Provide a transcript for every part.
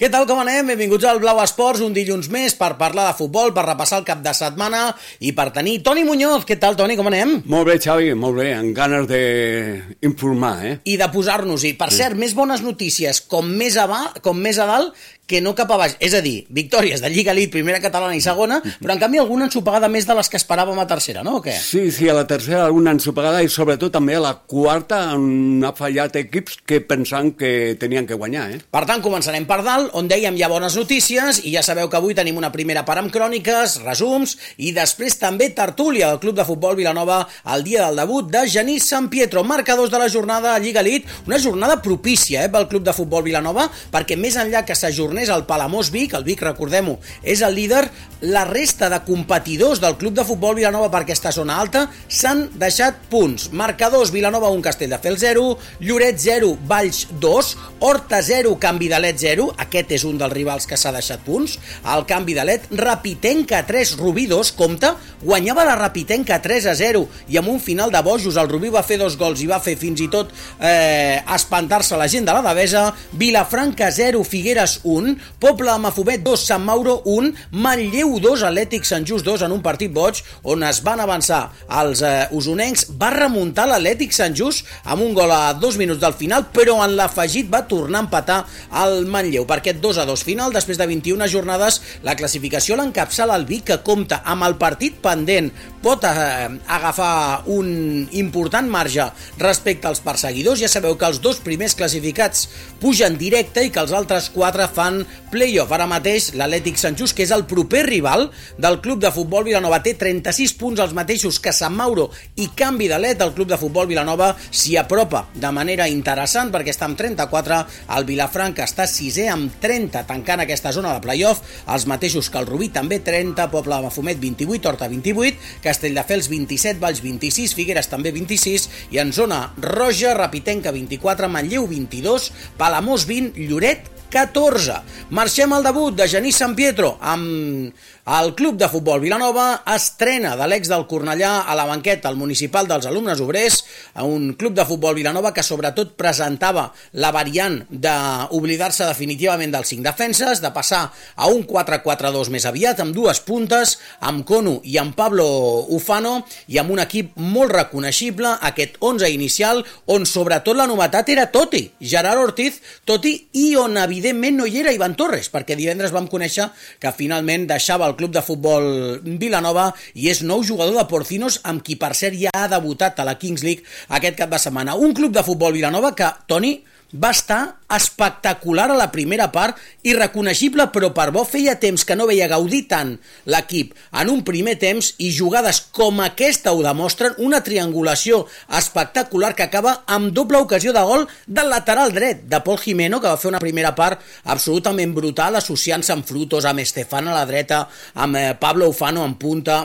Què tal, com anem? Benvinguts al Blau Esports, un dilluns més per parlar de futbol, per repassar el cap de setmana i per tenir Toni Muñoz. Què tal, Toni, com anem? Molt bé, Xavi, molt bé, amb ganes d'informar, I de posar-nos-hi. Per cert, més bones notícies, com més a dalt que no cap a baix. És a dir, victòries de Lliga Elite, primera catalana i segona, però en canvi alguna ensopegada més de les que esperàvem a tercera, no? O què? Sí, a la tercera alguna ensopegada i sobretot també a la quarta on ha fallat equips que pensaven que tenien que guanyar, Per tant, començarem per dalt, on dèiem hi ha bones notícies, i ja sabeu que avui tenim una primera part amb cròniques, resums, i després també tertúlia del Club de Futbol Vilanova el dia del debut de Genís San Pietro, marcadors de la jornada a Lliga Elite, una jornada propícia pel Club de Futbol Vilanova, perquè més enllà que s'ajornés el Palamós Vic, el Vic, recordem-ho, és el líder, la resta de competidors del Club de Futbol Vilanova per aquesta zona alta s'han deixat punts. Marcadors: Vilanova 1, Castelldefels 0, Lloret 0, Valls 2, Horta 0, Canvi de Let 0, aquest és un dels rivals que s'ha deixat punts, el Canvi de Let, Rapitenca 3, Rubí 2, compte, guanyava la Rapitenca 3-0 i amb un final de bojos el Rubí va fer 2 gols i va fer fins i tot espantar-se la gent de la Devesa. Vilafranca 0, Figueres 1, Poble de Mafumet 2, Sant Mauro 1, Manlleu 2, Atlètic Sant Just 2 en un partit boig on es van avançar els usonencs. Va remuntar l'Atlètic Sant Just amb un gol a 2 minuts del final, però en l'afegit va tornar a empatar el Manlleu. Per aquest 2-2 final, després de 21 jornades, la classificació l'encapçala el Vic, que compta amb el partit pendent, pot agafar un important marge respecte als perseguidors. Ja sabeu que els 2 primers classificats pugen directe i que els altres 4 fan play-off. Ara mateix l'Atlètic Sant Just, que és el proper rival del Club de Futbol Vilanova, té 36 punts, els mateixos que Sant Mauro i Canvi de Let. El Club de Futbol Vilanova s'hi apropa de manera interessant perquè està amb 34, el Vilafranca està 6è amb 30, tancant aquesta zona de play-off, els mateixos que el Rubí, també 30, Poble de Mafumet 28, Horta 28, Castelldefels 27, Valls 26, Figueres també 26, i en zona roja, Rapitenca 24, Manlleu 22, Palamós 20, Lloret 14. Marxem al debut de Genís San Pietro amb el Club de Futbol Vilanova. Estrena de l'ex del Cornellà a la banqueta, el municipal dels alumnes obrers, a un Club de Futbol Vilanova que sobretot presentava la variant d'oblidar-se definitivament dels 5 defenses, de passar a un 4-4-2 més aviat, amb 2 puntes, amb Cono i amb Pablo Ufano, i amb un equip molt reconeixible, aquest 11 inicial, on sobretot la novetat era Totti, Gerard Ortiz, i on evidentment no hi era Ivan Torres, perquè divendres vam conèixer que finalment deixava el Club de Futbol Vilanova i és nou jugador de Porcinos, amb qui per cert ja ha debutat a la Kings League aquest cap de setmana. Un Club de Futbol Vilanova que, Toni, va estar espectacular a la primera part i reconeixible, però per bo feia temps que no veia gaudir tant l'equip en un primer temps, i jugades com aquesta ho demostren, una triangulació espectacular que acaba amb doble ocasió de gol del lateral dret de Pol Jimeno, que va fer una primera part absolutament brutal, associant-se amb Frutos, amb Estefan a la dreta, amb Pablo Ufano en punta.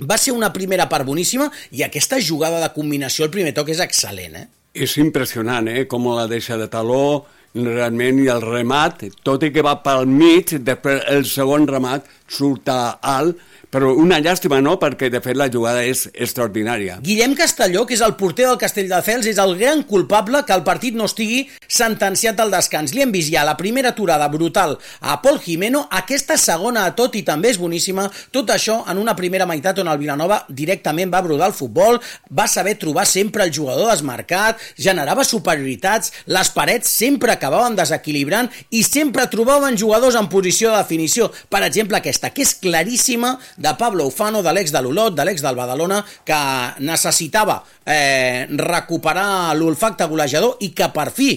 Va ser una primera part boníssima, i aquesta jugada de combinació, el primer toc, és excel·lent, És impressionant, com la deixa de taló, realment, i el remat, tot i que va pel mig, després el segon remat surt alt, però una llàstima, no?, perquè de fet la jugada és extraordinària. Guillem Castelló, que és el porter del Castelldefels, és el gran culpable que el partit no estigui sentenciat al descans. Li hem vist ja la primera aturada brutal a Pol Jimeno, aquesta segona a Totti també és boníssima, tot això en una primera meitat on el Vilanova directament va brodar el futbol, va saber trobar sempre el jugador desmarcat, generava superioritats, les parets sempre acabaven desequilibrant i sempre trobaven jugadors en posició de definició. Per exemple, aquesta, que és claríssima, de Pablo Ufano, de l'ex de l'Olot, de l'ex del Badalona, que necessitava recuperar l'olfacte golejador i que per fi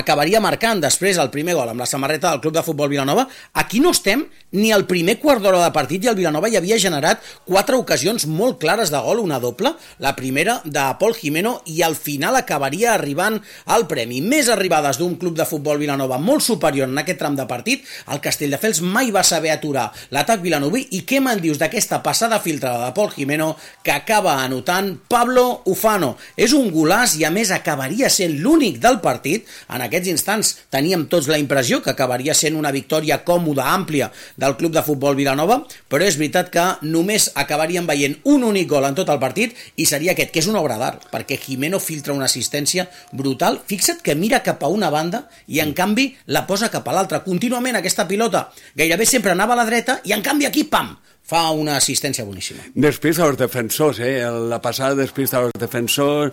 acabaria marcant després el primer gol amb la samarreta del Club de Futbol Vilanova. Aquí no estem ni al primer quart d'hora de partit i el Vilanova ja havia generat 4 ocasions molt clares de gol, una doble, la primera de Pol Jimeno, i al final acabaria arribant al premi. Més arribades d'un Club de Futbol Vilanova molt superior en aquest tram de partit. El Castelldefels mai va saber aturar l'atac vilanoví, i què me'n dius d'aquesta passada filtrada de Pol Jimeno que acaba anotant Pablo Ufano. És un golaç i a més acabaria sent l'únic del partit. En aquests instants teníem tots la impressió que acabaria sent una victòria còmoda, àmplia del Club de Futbol Vilanova, però és veritat que només acabaríem veient un únic gol en tot el partit i seria aquest, que és una obra d'art, perquè Jimeno filtra una assistència brutal. Fixa't que mira cap a una banda i en canvi la posa cap a l'altra. Contínuament aquesta pilota gairebé sempre anava a la dreta i en canvi aquí, pam, fa una assistència boníssima. Després als defensors, la passada després als defensors,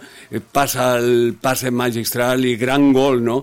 passa el passe magistral i gran gol, no?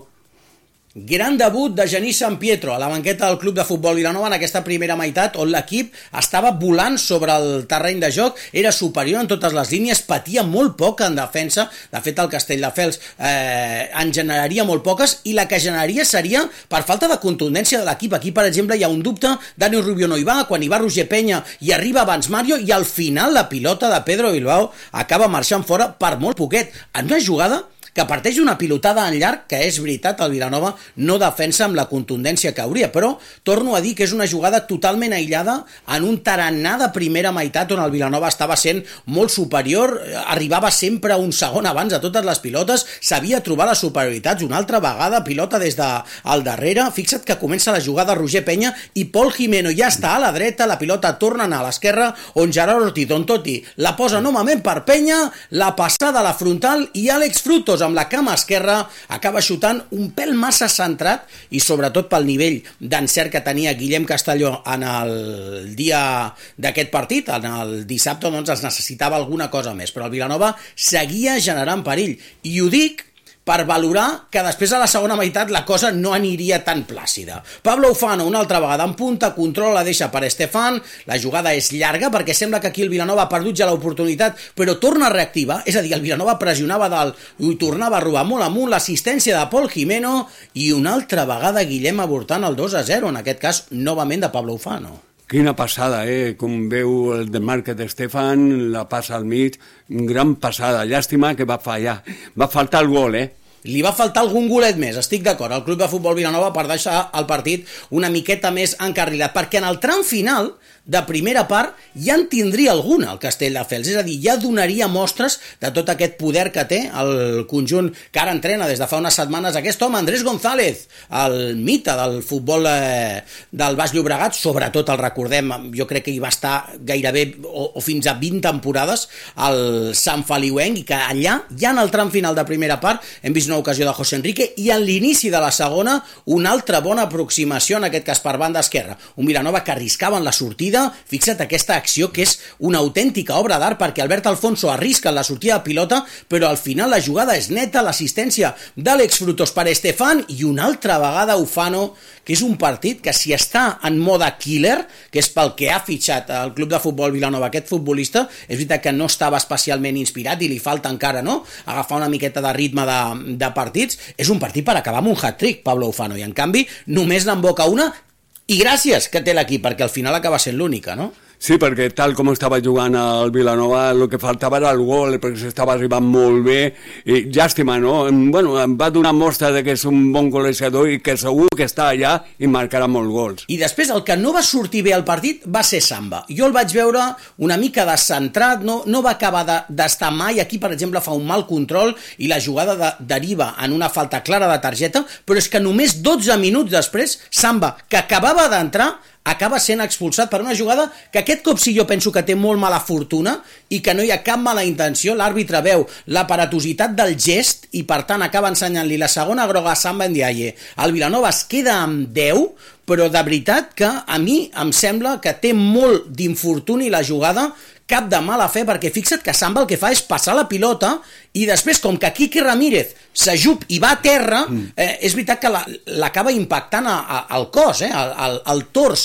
Gran debut de Genís San Pietro a la banqueta del Club de Futbol Vilanova en aquesta primera meitat on l'equip estava volant sobre el terreny de joc, era superior en totes les línies, patia molt poc en defensa. De fet, el Castelldefels en generaria molt poques i la que generaria seria per falta de contundència de l'equip. Aquí, per exemple, hi ha un dubte, Dani Rubio no hi va, quan hi va Roger Peña i arriba abans Mario i al final la pilota de Pedro Bilbao acaba marxant fora per molt poquet. En una jugada que parteix una pilotada en llarg, que és veritat, el Vilanova no defensa amb la contundència que hauria, però torno a dir que és una jugada totalment aïllada en un tarannà de primera meitat on el Vilanova estava sent molt superior, arribava sempre un segon abans a totes les pilotes, sabia trobar les superioritats, una altra vegada, pilota des del darrere. Fixa't que comença la jugada Roger Peña i Pol Jimeno ja està a la dreta, la pilota torna a anar a l'esquerra, on Gerard Ortiz, Don Toti, la posa novament per Peña, la passada a la frontal i Àlex Frutos amb la cama esquerra acaba xutant un pèl massa centrat i sobretot pel nivell d'encert que tenia Guillem Castelló en el dia d'aquest partit, en el dissabte, doncs es necessitava alguna cosa més, però el Vilanova seguia generant perill i ho dic per valorar que després a la segona meitat la cosa no aniria tan plàcida. Pablo Ufano una altra vegada en punta, controla, la deixa per Estefan, la jugada és llarga perquè sembla que aquí el Vilanova ha perdut ja l'oportunitat, però torna a reactivar, és a dir, el Vilanova pressionava dalt i tornava a robar molt amunt, l'assistència de Pol Jimeno i una altra vegada Guillem avortant el 2-0, en aquest cas novament de Pablo Ufano. Quina passada, com veu el de Márquez Estefan, la passa al mig, gran passada, llàstima que va fallar, va faltar el gol, Li va faltar algun golet més, estic d'acord, al Club de Futbol Vilanova per deixar el partit una miqueta més encarrilat, perquè en el tram final de primera part ja en tindria alguna el Castelldefels, és a dir, ja donaria mostres de tot aquest poder que té el conjunt que ara entrena des de fa unes setmanes aquest home, Andrés González, el mite del futbol del Baix Llobregat, sobretot el recordem, jo crec que hi va estar gairebé o fins a 20 temporades al Sant Feliuenc i que allà, ja en el tram final de primera part, hem vist una ocasió de José Enrique i en l'inici de la segona una altra bona aproximació, en aquest cas per banda esquerra, un Vilanova que arriscava en la sortida. Fixa't aquesta acció que és una autèntica obra d'art perquè Albert Alfonso arrisca en la sortida de pilota, però al final la jugada és neta, l'assistència d'Àlex Frutos per Estefan i una altra vegada Ufano, que és un partit que si està en mode killer, que és pel que ha fitxat el Club de Futbol Vilanova aquest futbolista, és veritat que no estava especialment inspirat i li falta encara, no?, agafar una miqueta de ritme de partits, és un partit per acabar amb un hat-trick, Pablo Ufano, i en canvi només n'emboca una. I gràcies que té l'equip, perquè al final acaba sent l'única, no? Sí, perquè tal com estava jugant el Vilanova, el que faltava era el gol, perquè s'estava arribant molt bé, i llàstima, no? Bueno, em va donar mostra de que és un bon golejador i que segur que està allà i marcarà molts gols. I després el que no va sortir bé al partit va ser Samba. Jo el vaig veure una mica descentrat, no va acabar d'estar mai, aquí per exemple fa un mal control i la jugada deriva en una falta clara de targeta, però és que només 12 minuts després, Samba, que acabava d'entrar, acaba sent expulsat per una jugada que aquest cop sí jo penso que té molt mala fortuna i que no hi ha cap mala intenció. L'àrbitre veu l'aparatositat del gest i per tant acaba ensenyant-li la segona groga a Samba Ndiaye. El Vilanova es queda amb 10, però de veritat que a mi em sembla que té molt d'infortuni la jugada, cap de mala fe, perquè fixa't que Samba el que fa és passar la pilota i després, com que Quique Ramírez s'ajup i va a terra, és veritat que l'acaba impactant al cos, al tors.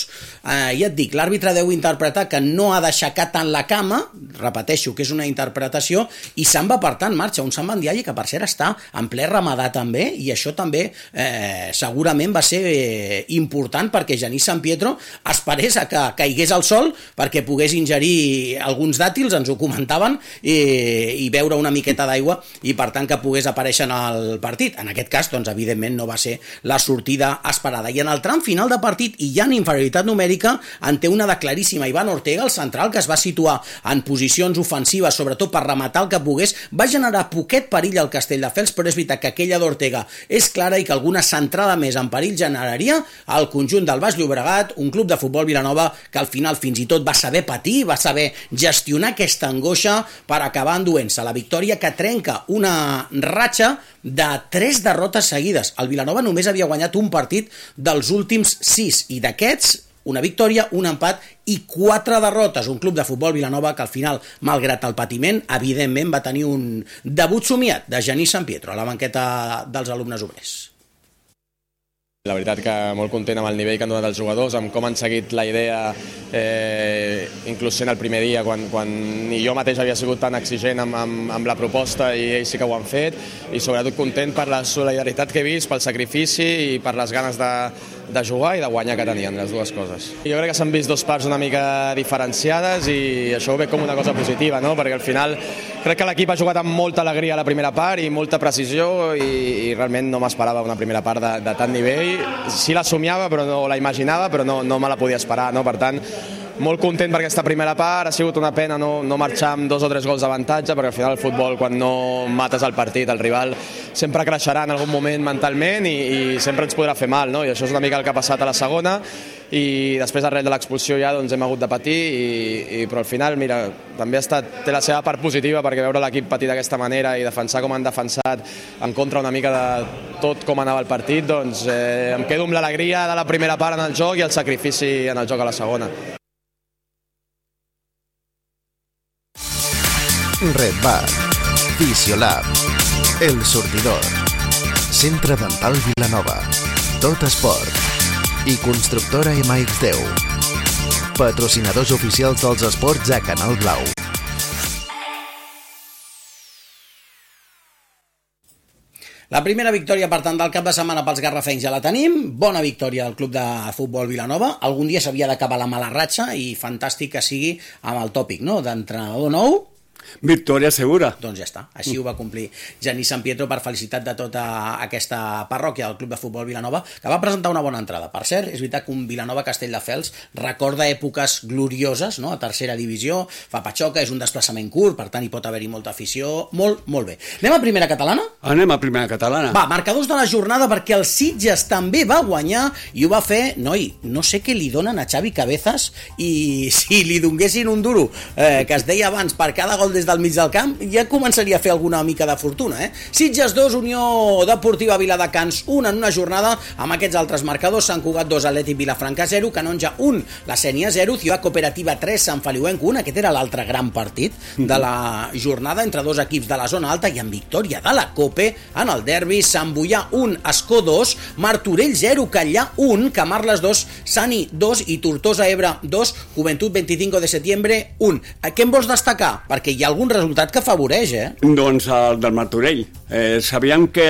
Ja et dic, l'àrbitre deu interpretar que no ha d'aixecar tant la cama, repeteixo que és una interpretació, i Samba, per tant, marxa. Un Samba Ndiaye que, per cert, està en ple ramadà també, i això també segurament va ser important perquè Genís San Pietro esperés a que caigués al sol perquè pogués ingerir alguns dàtils ens ho comentaven i beure una miqueta d'aigua i per tant que pogués aparèixer en el partit. En aquest cas, doncs, evidentment no va ser la sortida esperada. I en el tram final de partit, i ja en inferioritat numèrica, en té una de claríssima. Iván Ortega, el central, que es va situar en posicions ofensives, sobretot per rematar el que pogués, va generar poquet perill al Castelldefels, però és veritat que aquella d'Ortega és clara i que alguna centrada més en perill generaria al conjunt del Baix Llobregat, un club de futbol Vilanova que al final fins i tot va saber patir, va saber gestionar aquesta angoixa per acabar enduent-se la victòria que trenca una ratxa de 3 derrotes seguides. El Vilanova només havia guanyat un partit dels últims 6 i d'aquests una victòria, un empat i 4 derrotes. Un club de futbol Vilanova que al final, malgrat el patiment, evidentment va tenir un debut somiat de Genís Sampietro a la banqueta dels alumnes obrers. La veritat que molt content amb el nivell que han donat els jugadors, amb com han seguit la idea, inclús sent el primer dia, quan ni jo mateix havia sigut tan exigent amb la proposta i ells sí que ho han fet, i sobretot content per la solidaritat que he vist, pel sacrifici i per les ganes de jugar i de guanyar que tenien, les dues coses. Jo crec que s'han vist dos parts una mica diferenciades i això ho veig com una cosa positiva, no? Perquè al final crec que l'equip ha jugat amb molta alegria a la primera part i molta precisió i realment no m'esperava una primera part de tant nivell. Sí la somiava, però no la imaginava, però no me la podia esperar, no? Per tant, molt content per aquesta primera part, ha sigut una pena no marxar amb 2 o 3 gols d'avantatge, perquè al final el futbol, quan no mates el partit, el rival sempre creixerà en algun moment mentalment i sempre ens podrà fer mal, no? I això és una mica el que ha passat a la segona, i després arrel de l'expulsió ja doncs hem hagut de patir, però al final, mira, també té la seva part positiva, perquè veure l'equip patir d'aquesta manera i defensar com han defensat en contra una mica de tot com anava el partit, doncs em quedo amb l'alegria de la primera part en el joc i el sacrifici en el joc a la segona. Red Bar, Fisiolab, El Sortidor, Centre Dental Vilanova, Tot Esport i Constructora MX10, patrocinadors oficials dels esports a Canal Blau. La primera victòria, per tant, del cap de setmana pels garrafencs ja la tenim. Bona victòria del club de futbol Vilanova. Algun dia s'havia d'acabar la mala ratxa i fantàstic que sigui amb el tòpic, no?, d'entrenador nou. Victòria segura. Doncs ja està, així ho va complir Genís Sampietro, per felicitat de tota aquesta parròquia del Club de Futbol Vilanova, que va presentar una bona entrada. Per cert, és veritat que un Vilanova-Castelldefels recorda èpoques glorioses, no?, a tercera divisió, fa patxoca, és un desplaçament curt, per tant hi pot haver-hi molta afició, molt bé. Anem a primera catalana? Anem a primera catalana. Va, marcadors de la jornada, perquè el Sitges també va guanyar i ho va fer, no sé què li donen a Xavi Cabezas, i si li donguessin un duro, que es deia abans, per cada gol des del mig del camp, ja començaria a fer alguna mica de fortuna, Sitges 2, Unió Deportiva Viladecans 1 en una jornada, amb aquests altres marcadors: Sant Cugat 2, Atlètic Vilafranca 0, Canonja 1, la Sénia 0, Ciutat Cooperativa 3, Sant Feliuenc 1. Aquest era l'altre gran partit de la jornada entre dos equips de la zona alta, i amb victòria de la Cope en el derbi. Sant Boià 1, Escó 2, Martorell 0, Catllà 1, Camarles 2, Sani 2 i Tortosa Ebre 2, Juventud 25 de setembre 1. Què em vols destacar? Perquè hi ha algun resultat que afavoreix, Doncs el del Martorell. Sabíem que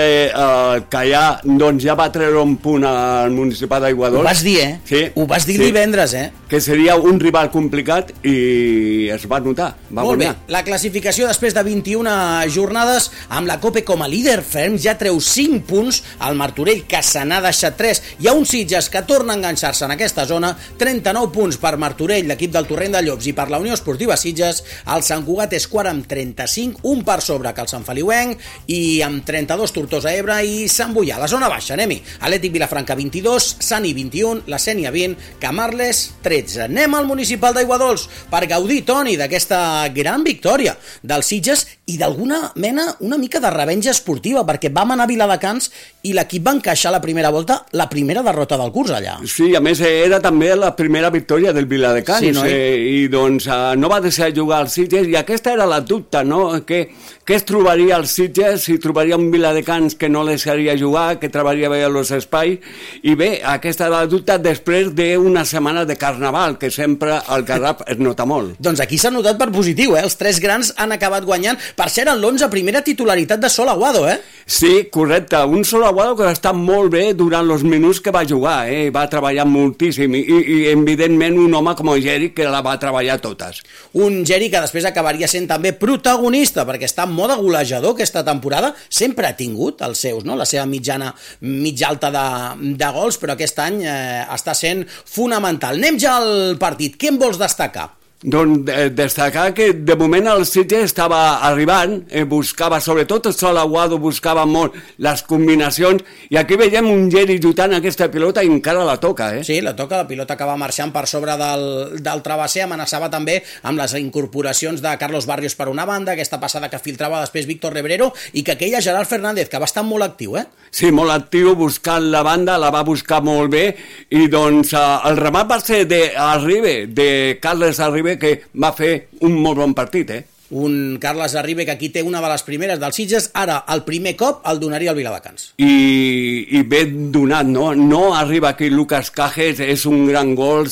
Catllà doncs, ja va treure un punt al municipal d'Aiguadols. Ho vas dir, Sí. Ho vas dir divendres, Que seria un rival complicat i es va notar. Molt bé, la classificació després de 21 jornades, amb la Cope com a líder ferm, ja treu 5 punts al Martorell, que se n'ha deixat 3. Hi ha un Sitges que torna a enganxar-se en aquesta zona, 39 punts per Martorell, l'equip del Torrent de Llops, i per la Unió Esportiva Sitges. El Sant Cugat és quart amb 35, un per sobre que el Sant Feliuenc, i amb 32 Tortosa Ebre i Sant Boià. La zona baixa, anem-hi. Atlètic Vilafranca 22, Sani 21, la Sénia 20, Camarles 13. Anem al municipal d'Aiguadols per gaudir, Toni, d'aquesta gran victòria del Sitges i d'alguna mena una mica de revenja esportiva, perquè vam anar a Viladecans i l'equip va encaixar la primera volta, la primera derrota del curs allà. Sí, a més era també la primera victòria del Viladecans, sí, i doncs no va deixar jugar al Sitges, i aquesta era la dubte, no? Què es trobaria al Sitges, si trobaria un Viladecans que no deixaria jugar, que trebaria bé als espais, i bé, aquesta era la dubte després d'una setmana de carnaval, que sempre al Garraf es nota molt. Doncs aquí s'ha notat per positiu, Els 3 grans han acabat guanyant, Per cert, en l'11, primera titularitat de Sol Aguado, Sí, correcte. Un Sol Aguado que va estar molt bé durant els minuts que va jugar, va treballar moltíssim i evidentment un home com el Geri que la va treballar totes. Un Geri que després acabaria sent també protagonista perquè està en mode golejador aquesta temporada, sempre ha tingut els seus, no? La seva mitjana mitja alta de gols, però aquest any està sent fonamental. Anem ja al partit. Què en vols destacar? Doncs destacar que de moment el Sitges estava arribant, buscava, sobretot el Sol Aguado buscava molt les combinacions, i aquí veiem un Geri lluitant aquesta pilota i encara la toca, Sí, la toca, la pilota que va marxant per sobre del travesser, amenaçava també amb les incorporacions de Carlos Barrios per una banda, aquesta passada que filtrava després Víctor Rebrero, i que aquella Gerard Fernández, que va estar molt actiu, Sí, molt actiu, buscant la banda, la va buscar molt bé, i doncs el remat va ser d'Arribe, de Carles Arribe, que va fer un molt bon partit, Un Carles Arribe que aquí té una de les primeres dels Sitges, ara el primer cop el donaria al Viladecans. I ben donat, no? No arriba aquí Lucas Cajes, és un gran gol,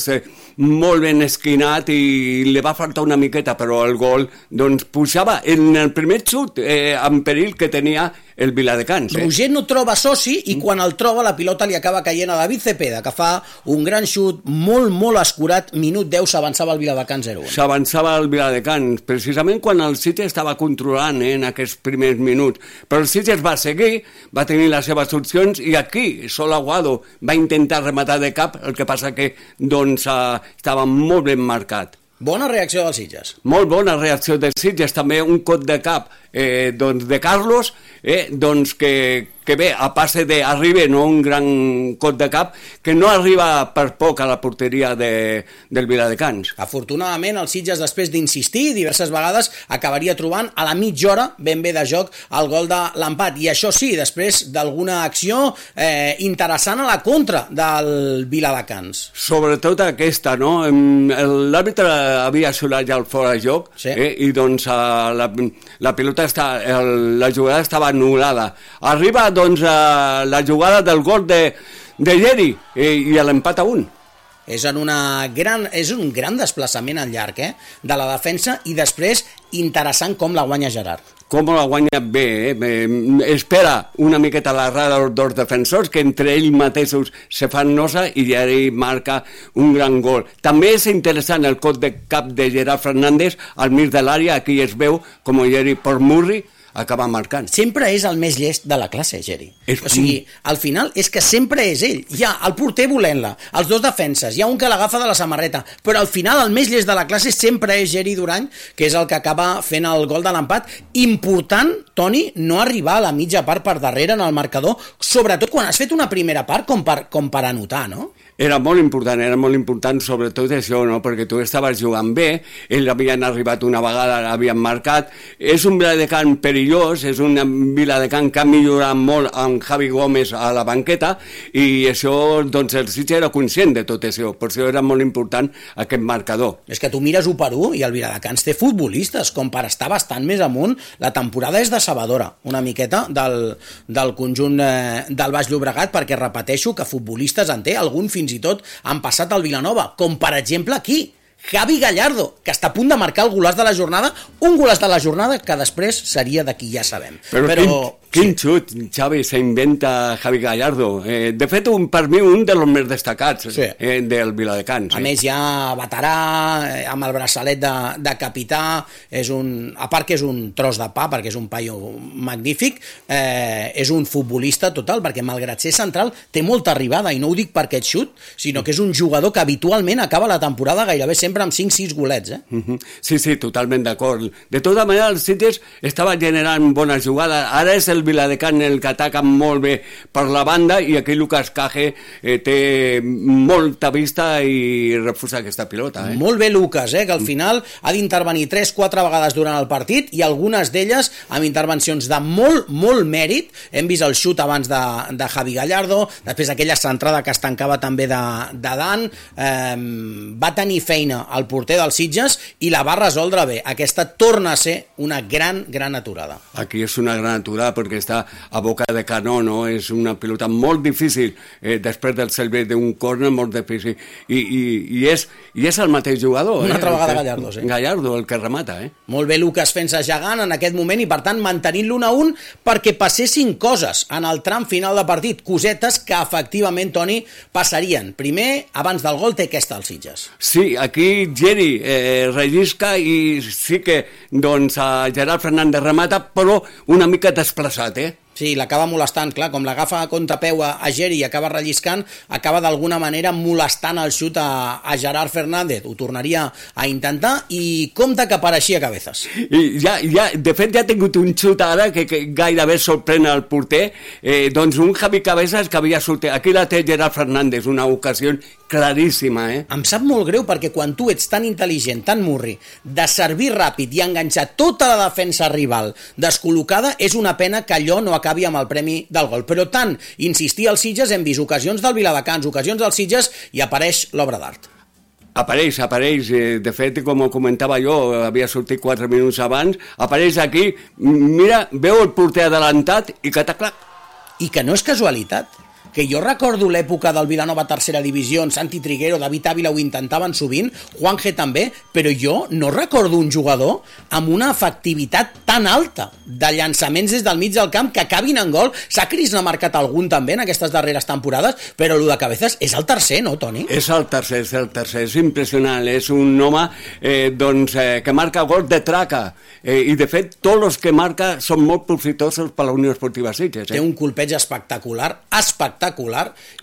molt ben esquinat i li va faltar una miqueta, però el gol doncs pujava en el primer xut en perill que tenia el Viladecans. Roger no troba soci i quan el troba la pilota li acaba caient a David Cepeda, que fa un gran xut molt, molt escurat. Minut 10 s'avançava el Viladecans 0-1. S'avançava el Viladecans, precisament quan el Sitges estava controlant en aquests primers minuts. Però el Sitges va seguir, va tenir les seves opcions i aquí Sol Aguado va intentar rematar de cap, el que passa que doncs estava molt ben marcat. Bona reacció dels Sitges. Molt bona reacció dels Sitges, també un cop de cap doncs de Carlos, doncs que bé, a passe d'Arribe, no un gran cop de cap, que no arriba per poc a la porteria del Viladecans. Afortunadament, el Sitges, després d'insistir diverses vegades, acabaria trobant a la mitja hora ben bé de joc el gol de l'empat. I això sí, després d'alguna acció interessant a la contra del Viladecans. Sobretot aquesta, no? L'àrbitre havia xiulat ja el fora de joc, sí. I doncs la pilota la jugada estava anul·lada. Arriba doncs la jugada del gol de Geri i l'empat a 1. És un gran desplaçament al llarg de la defensa i després interessant com la guanya Gerard. Com la guanya bé, espera una miqueta la rada dels defensors, que entre ells mateixos se fan nosa i Geri marca un gran gol. També és interessant el cop de cap de Gerard Fernández al mig de l'àrea, aquí es veu com Geri per Murri acaba marcant. Sempre és el més llest de la classe, Geri. O sigui, al final és que sempre és ell. Hi ha el porter volent-la, els dos defenses, hi ha un que l'agafa de la samarreta, però al final el més llest de la classe sempre és Geri Durany, que és el que acaba fent el gol de l'empat. Important, Toni, no arribar a la mitja part per darrere en el marcador, sobretot quan has fet una primera part com per anotar, no? Era molt important sobretot això, no? Perquè tu estaves jugant bé, ells havien arribat una vegada, l'havien marcat, és un Viladecans perillós, és un Viladecans que ha millorat molt amb Javi Gómez a la banqueta, i això, doncs el Sitges era conscient de tot això, per això era molt important aquest marcador. És que tu mires 1 per 1 i el Viladecans té futbolistes, com per estar bastant més amunt, la temporada és decebedora, una miqueta del conjunt del Baix Llobregat, perquè repeteixo que futbolistes en té, algun fins i tot han passat al Vilanova, com per exemple aquí, Javi Gallardo, que està a punt de marcar el golaç de la jornada, un golaç de la jornada que després seria de qui ja sabem. Però quin xut, Xavi, s'inventa Javi Gallardo. De fet, per mi, un dels més destacats del Viladecans. A més, ja veterà, amb el braçalet de capità, a part que és un tros de pa, perquè és un paio magnífic, és un futbolista total, perquè malgrat ser central, té molta arribada, i no ho dic per aquest xut, sinó que és un jugador que habitualment acaba la temporada gairebé sempre amb 5-6 golets. Sí, totalment d'acord. De tota manera, el Sitges estava generant bones jugades. Ara és el Viladecans el que ataca molt bé per la banda, i aquí Lucas Caje té molta vista i refusa aquesta pilota. Molt bé Lucas, que al final ha d'intervenir 3-4 vegades durant el partit, i algunes d'elles amb intervencions de molt, molt mèrit. Hem vist el xut abans de Javi Gallardo, després aquella centrada que es tancava també de Dan. Va tenir feina al porter dels Sitges i la va resoldre bé. Aquesta torna a ser una gran aturada. Aquí és una gran aturada, perquè perquè està a boca de canó, no? És una pilota molt difícil, després del servei d'un córner, molt difícil. I és el mateix jugador. Una altra vegada Gallardo, sí. Gallardo, el que remata, Molt bé Lucas fent-se gegant en aquest moment i, per tant, mantenint l'1-1 perquè passessin coses en el tram final de partit, cosetes que, efectivament, Toni, passarien. Primer, abans del gol, té aquesta als Sitges. Sí, aquí Geri rellisca i sí que doncs, Gerard Fernández remata, però una mica desplaçat, Sí, l'acaba molestant, clar, com l'agafa a contrapeu a Geri i acaba relliscant, acaba d'alguna manera molestant el xut a Gerard Fernández. Ho tornaria a intentar i compte que apareixia Cabezas. I de fet ja ha tingut un xut ara que gairebé sorprèn el porter, doncs un Javi Cabezas que havia sortit. Aquí la té Gerard Fernández, una ocasió claríssima, Em sap molt greu perquè quan tu ets tan intel·ligent, tan murri, de servir ràpid i enganxar tota la defensa rival descol·locada, és una pena que allò no acabi amb el premi del gol. Però tant insistir als Sitges, hem vist ocasions del Viladecans, ocasions dels Sitges, i apareix l'obra d'art. Apareix, de fet, com ho comentava jo, havia sortit 4 minuts abans, apareix aquí, mira, veu el porter adelantat i cataclac. I que no és casualitat, que jo recordo l'època del Vilanova tercera divisió, en Santi Triguero, David Ávila ho intentaven sovint, Juan G també, però jo no recordo un jugador amb una efectivitat tan alta de llançaments des del mig del camp que acabin en gol. Sacris n'ha marcat algun també en aquestes darreres temporades, però el de Cabezas és el tercer, no, Toni? És el tercer, és impressionant, és un home que marca gol de traca, i de fet tots els que marca són molt profitosos per la Unió Esportiva Sitges. Té un colpeig espectacular,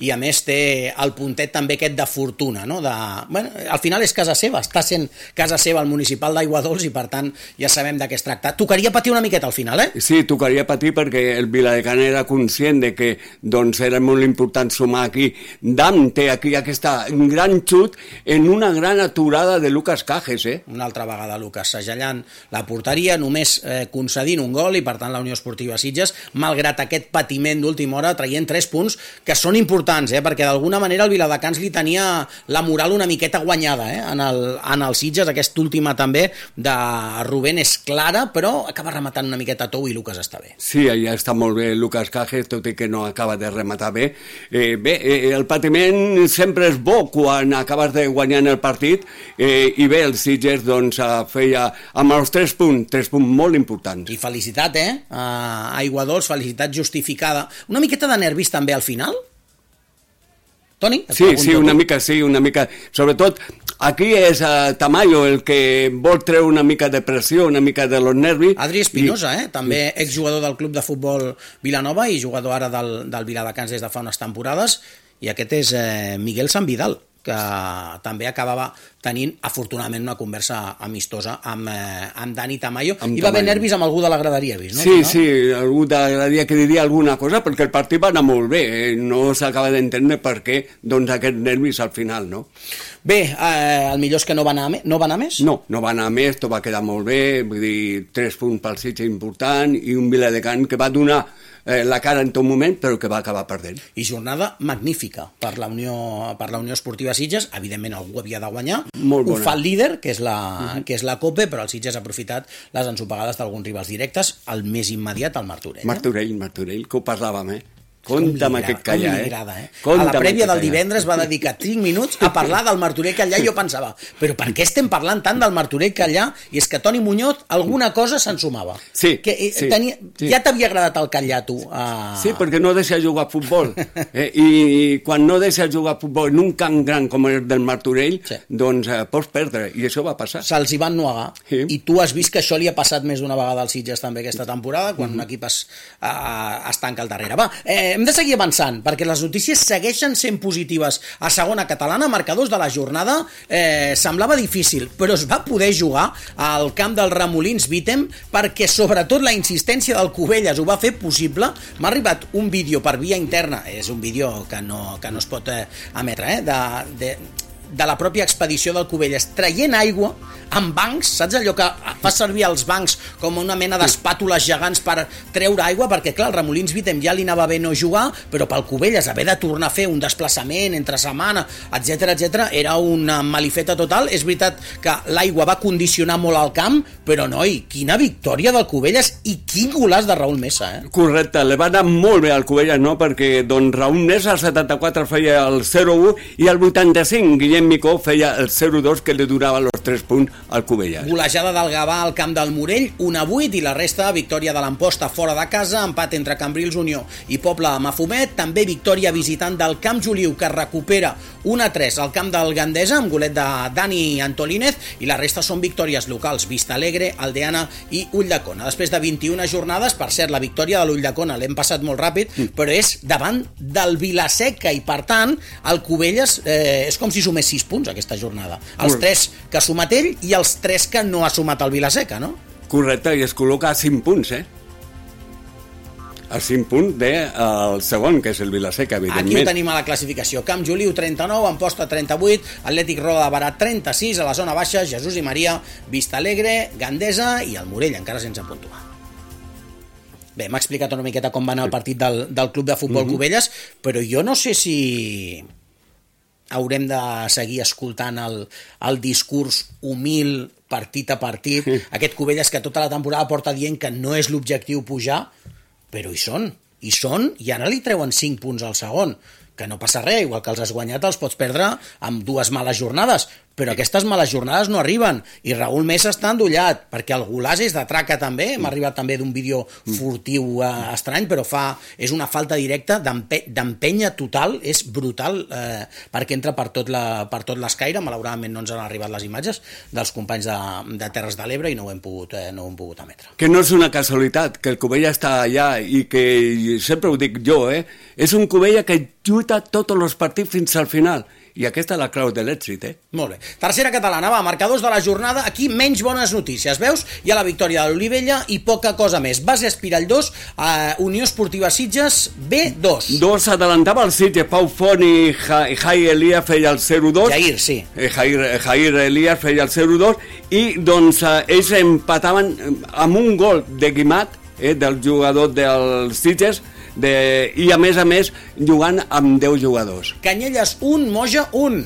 i a més té el puntet també aquest de fortuna, no? Al final és casa seva, està sent casa seva el municipal d'Aiguadols i per tant ja sabem de què es tracta. Tocaria patir una miqueta al final, Sí, tocaria patir perquè el Viladecans era conscient de que doncs, era molt important sumar aquí. Dam té aquí aquest gran xut en una gran aturada de Lucas Cajes, Una altra vegada Lucas segellant la porteria, només concedint un gol i per tant la Unió Esportiva Sitges, malgrat aquest patiment d'última hora, traient 3 punts que són importants, perquè d'alguna manera el Viladecans li tenia la moral una miqueta guanyada en el Sitges. Aquesta última també de Rubén és clara, però acaba rematant una miqueta tou i Lucas està bé. Sí, ja està molt bé Lucas Cajes, tot i que no acaba de rematar bé. El patiment sempre és bo quan acabes de guanyar en el partit, i bé, el Sitges doncs, feia amb els 3 punts molt importants. I felicitat, a Aiguadols, felicitat justificada. Una miqueta de nervis també al final? Toni? Sí, una mica. Sobretot, aquí és Tamayo el que vol treure una mica de pressió, una mica de los nervis. Adri Espinosa, també exjugador del Club de Futbol Vilanova i jugador ara del Viladecans des de fa unes temporades, i aquest és Miguel San Vidal, que també acabava tenint, afortunadament, una conversa amistosa amb Dani Tamayo. Hi va haver nervis amb algú de la graderia, vist, no? Sí, algú de la graderia que diria alguna cosa, perquè el partit va anar molt bé, no s'acaba d'entendre per què doncs, aquests nervis al final, no? Bé, el millor és que no va anar més? No va anar més, tot va quedar molt bé, vull dir, 3 punts pel Sitges important, i un Viladecans que va donar la cara en tot moment, però que va acabar perdent. I jornada magnífica per la Unió Esportiva Sitges. Evidentment algú havia de guanyar. Molt bona. Ho fa el líder, que és la Cope, però el Sitges ha aprofitat les ensopegades d'alguns rivals directes. El més immediat, el Martorell. Martorell, que ho parlàvem, Compte amb aquest Callà, A la prèvia del divendres va dedicar 5 minuts a parlar del Martorell Callà i jo pensava, però per què estem parlant tant del Martorell Callà? I és que Toni Muñoz alguna cosa se'n sumava. Sí. Ja t'havia agradat el Callà, tu? Sí, perquè no deixa jugar a futbol. I quan no deixa jugar a futbol en un camp gran com el del Martorell, doncs pots perdre, i això va passar. Se'ls hi van nuegar. I tu has vist que això li ha passat més d'una vegada als Sitges també aquesta temporada, quan un equip es tanca al darrere. Va, hem de seguir avançant, perquè les notícies segueixen sent positives. A segona catalana, marcadors de la jornada, semblava difícil, però es va poder jugar al camp del Remolins Vítem, perquè sobretot la insistència del Cubelles ho va fer possible. M'ha arribat un vídeo per via interna, és un vídeo que no es pot emetre, de la pròpia expedició del Cubelles, traient aigua amb bancs, saps allò que fa servir els bancs com una mena d'espàtules gegants per treure aigua, perquè clar, el Remolins Vitem ja li anava bé no jugar, però pel Cubelles haver de tornar a fer un desplaçament entre setmana, etc era una malifeta total. És veritat que l'aigua va condicionar molt el camp, però noi, quina victòria del Cubelles i quin golaç de Raúl Mesa, Correcte, li va anar molt bé al Cubelles, no? Perquè doncs Raúl Mesa al 74 feia el 0-1 i al 85 Guillem Micó feia el 0-2 que li donava els 3 punts al Cubelles. Golejada del Gavà al camp del Morell, 1-8, i la resta, victòria de l'Amposta fora de casa, empat entre Cambrils Unió i Poble de Mafumet, també victòria visitant del Camp Joliu, que recupera 1-3 al camp del Gandesa, amb golet de Dani Antolínez, i la resta són victòries locals, Vista Alegre, Aldeana i Ulldecona. Després de 21 jornades, per cert, la victòria de l'Ulldecona l'hem passat molt ràpid, però és davant del Vilaseca, i per tant, el Cubelles és com si sumés 6 punts aquesta jornada. Els 3 que ha sumat ell i els 3 que no ha sumat el Vilaseca, no? Correcte, i es col·loca a 5 punts, a 5 punts del segon, que és el Vilaseca, evidentment. Aquí ho tenim a la classificació. Camp Joliu 39, Amposta 38, Atlètic Roda de Barà 36, a la zona baixa Jesús i Maria, Vista Alegre, Gandesa i el Morell, encara sense puntuar. Bé, m'ha explicat una miqueta com va anar el partit del Club de Futbol Cubelles, però jo no sé si haurem de seguir escoltant el discurs humil, partit a partit, aquest Cubelles que tota la temporada porta dient que no és l'objectiu pujar, però hi són, i ara li treuen 5 punts al segon, que no passa res, igual que els has guanyat els pots perdre amb 2 males jornades, però aquestes males jornades no arriben, i Raúl Mesa està endollat, perquè el golàs és de traca també, m'ha arribat també d'un vídeo furtiu estrany, però és una falta directa d'empenya total, és brutal, perquè entra per tot l'escaire. Malauradament no ens han arribat les imatges dels companys de Terres de l'Ebre i no ho hem pogut emetre. Que no és una casualitat, que el Cubella està allà i que, sempre ho dic jo, és un Cubella que lluita tots els partits fins al final. I aquesta és la clau de l'èxit, Molt bé. Tercera catalana, va, marcadors de la jornada. Aquí menys bones notícies, veus? Hi ha la victòria de l'Olivella i poca cosa més. Base Espirall 2, Unió Esportiva Sitges B2. 2 adelantava el Sitges, Pau Font i Jair Elias feia el 0-2. Jair, sí. Jair Elias feia el 0-2 i doncs ells empataven amb un gol de Guimat, del jugador del Sitges, i a més jugant amb 10 jugadors. Canyelles 1, Moja 1.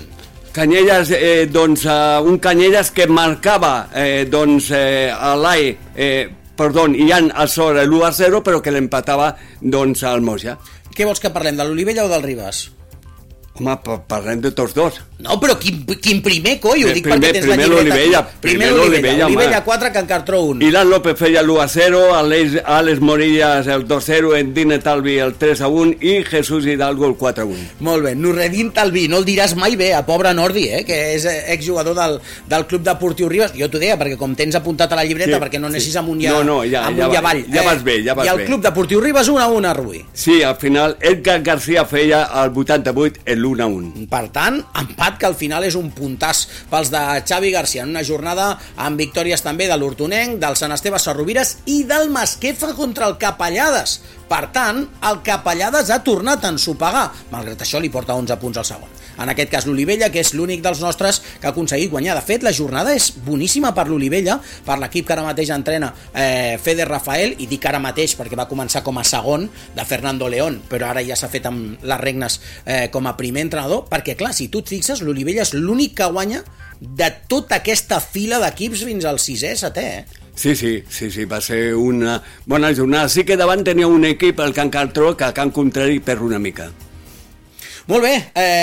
Canyelles, un Canyelles que marcava a l'AI, Ian Azor l'1-0, però que l'empatava al Moja. Què vols que parlem, de l'Olivella o del Ribas? Home, parlem de tots dos. No, però quin primer, coi? Ho dic perquè tens la llibreta. Primer l'Olivella. Olivella 4, Can Cartró 1. Ilan López feia l'1-0, Àlex Morillas el 2-0, Endine Talvi el 3-1 i Jesús Hidalgo el 4-1. Molt bé, Nurredin Talvi, no el diràs mai bé, a pobre Nordi, que és exjugador del Club Deportiu Ribas. Jo t'ho deia, perquè com tens apuntat a la llibreta, perquè no anessis amunt i avall. Ja vas bé. I el Club Deportiu Ribas 1-1 a Rubí. Sí, al final Edgar García feia el 88 l'1-1. Per tant, empat que al final és un puntàs pels de Xavi García, en una jornada amb victòries també de l'Hortonenc, del Sant Esteve Sarrovires i del Masquefa contra el Capellades. Per tant, el Capellades ha tornat a ensopegar, malgrat això li porta 11 punts al segon. En aquest cas l'Olivella, que és l'únic dels nostres que ha aconseguit guanyar. De fet, la jornada és boníssima per l'Olivella, per l'equip que ara mateix entrena Fede Rafael, i dic ara mateix perquè va començar com a segon de Fernando León, però ara ja s'ha fet amb les regnes com a primer entrenador, perquè clar, si tu et fixes, l'Olivella és l'únic que guanya de tota aquesta fila d'equips fins al 6è, 7è, Sí, va ser una bona jornada. Sí que davant tenia un equip, el Can Cartró, que a Can Contrari perd una mica. Molt bé,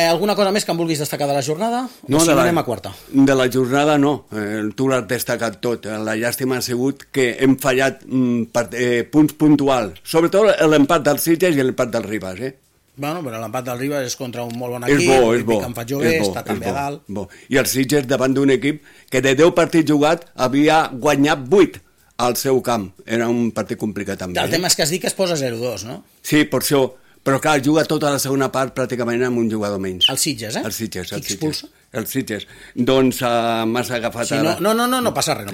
alguna cosa més que em vulguis destacar de la jornada? No, si no anem a quarta. De la jornada no, tu l'has destacat tot. La llàstima ha sigut que hem fallat punts puntuals, sobretot l'empat del Sitges i l'empat del Ribas, Bueno, però l'empat del Ribas és contra un molt bon equip, és bo, que em fa jove, està també a dalt. Bo. I el Sitges davant d'un equip que de 10 partits jugats havia guanyat 8 al seu camp. Era un partit complicat també. El tema és que es diu que es posa 0-2, no? Sí, per això. Però clar, juga tota la segona part pràcticament amb un jugador menys. El Sitges, El Sitges. Qui expulsa? els Sitges. Doncs m'has agafat sí, ara. No passa res,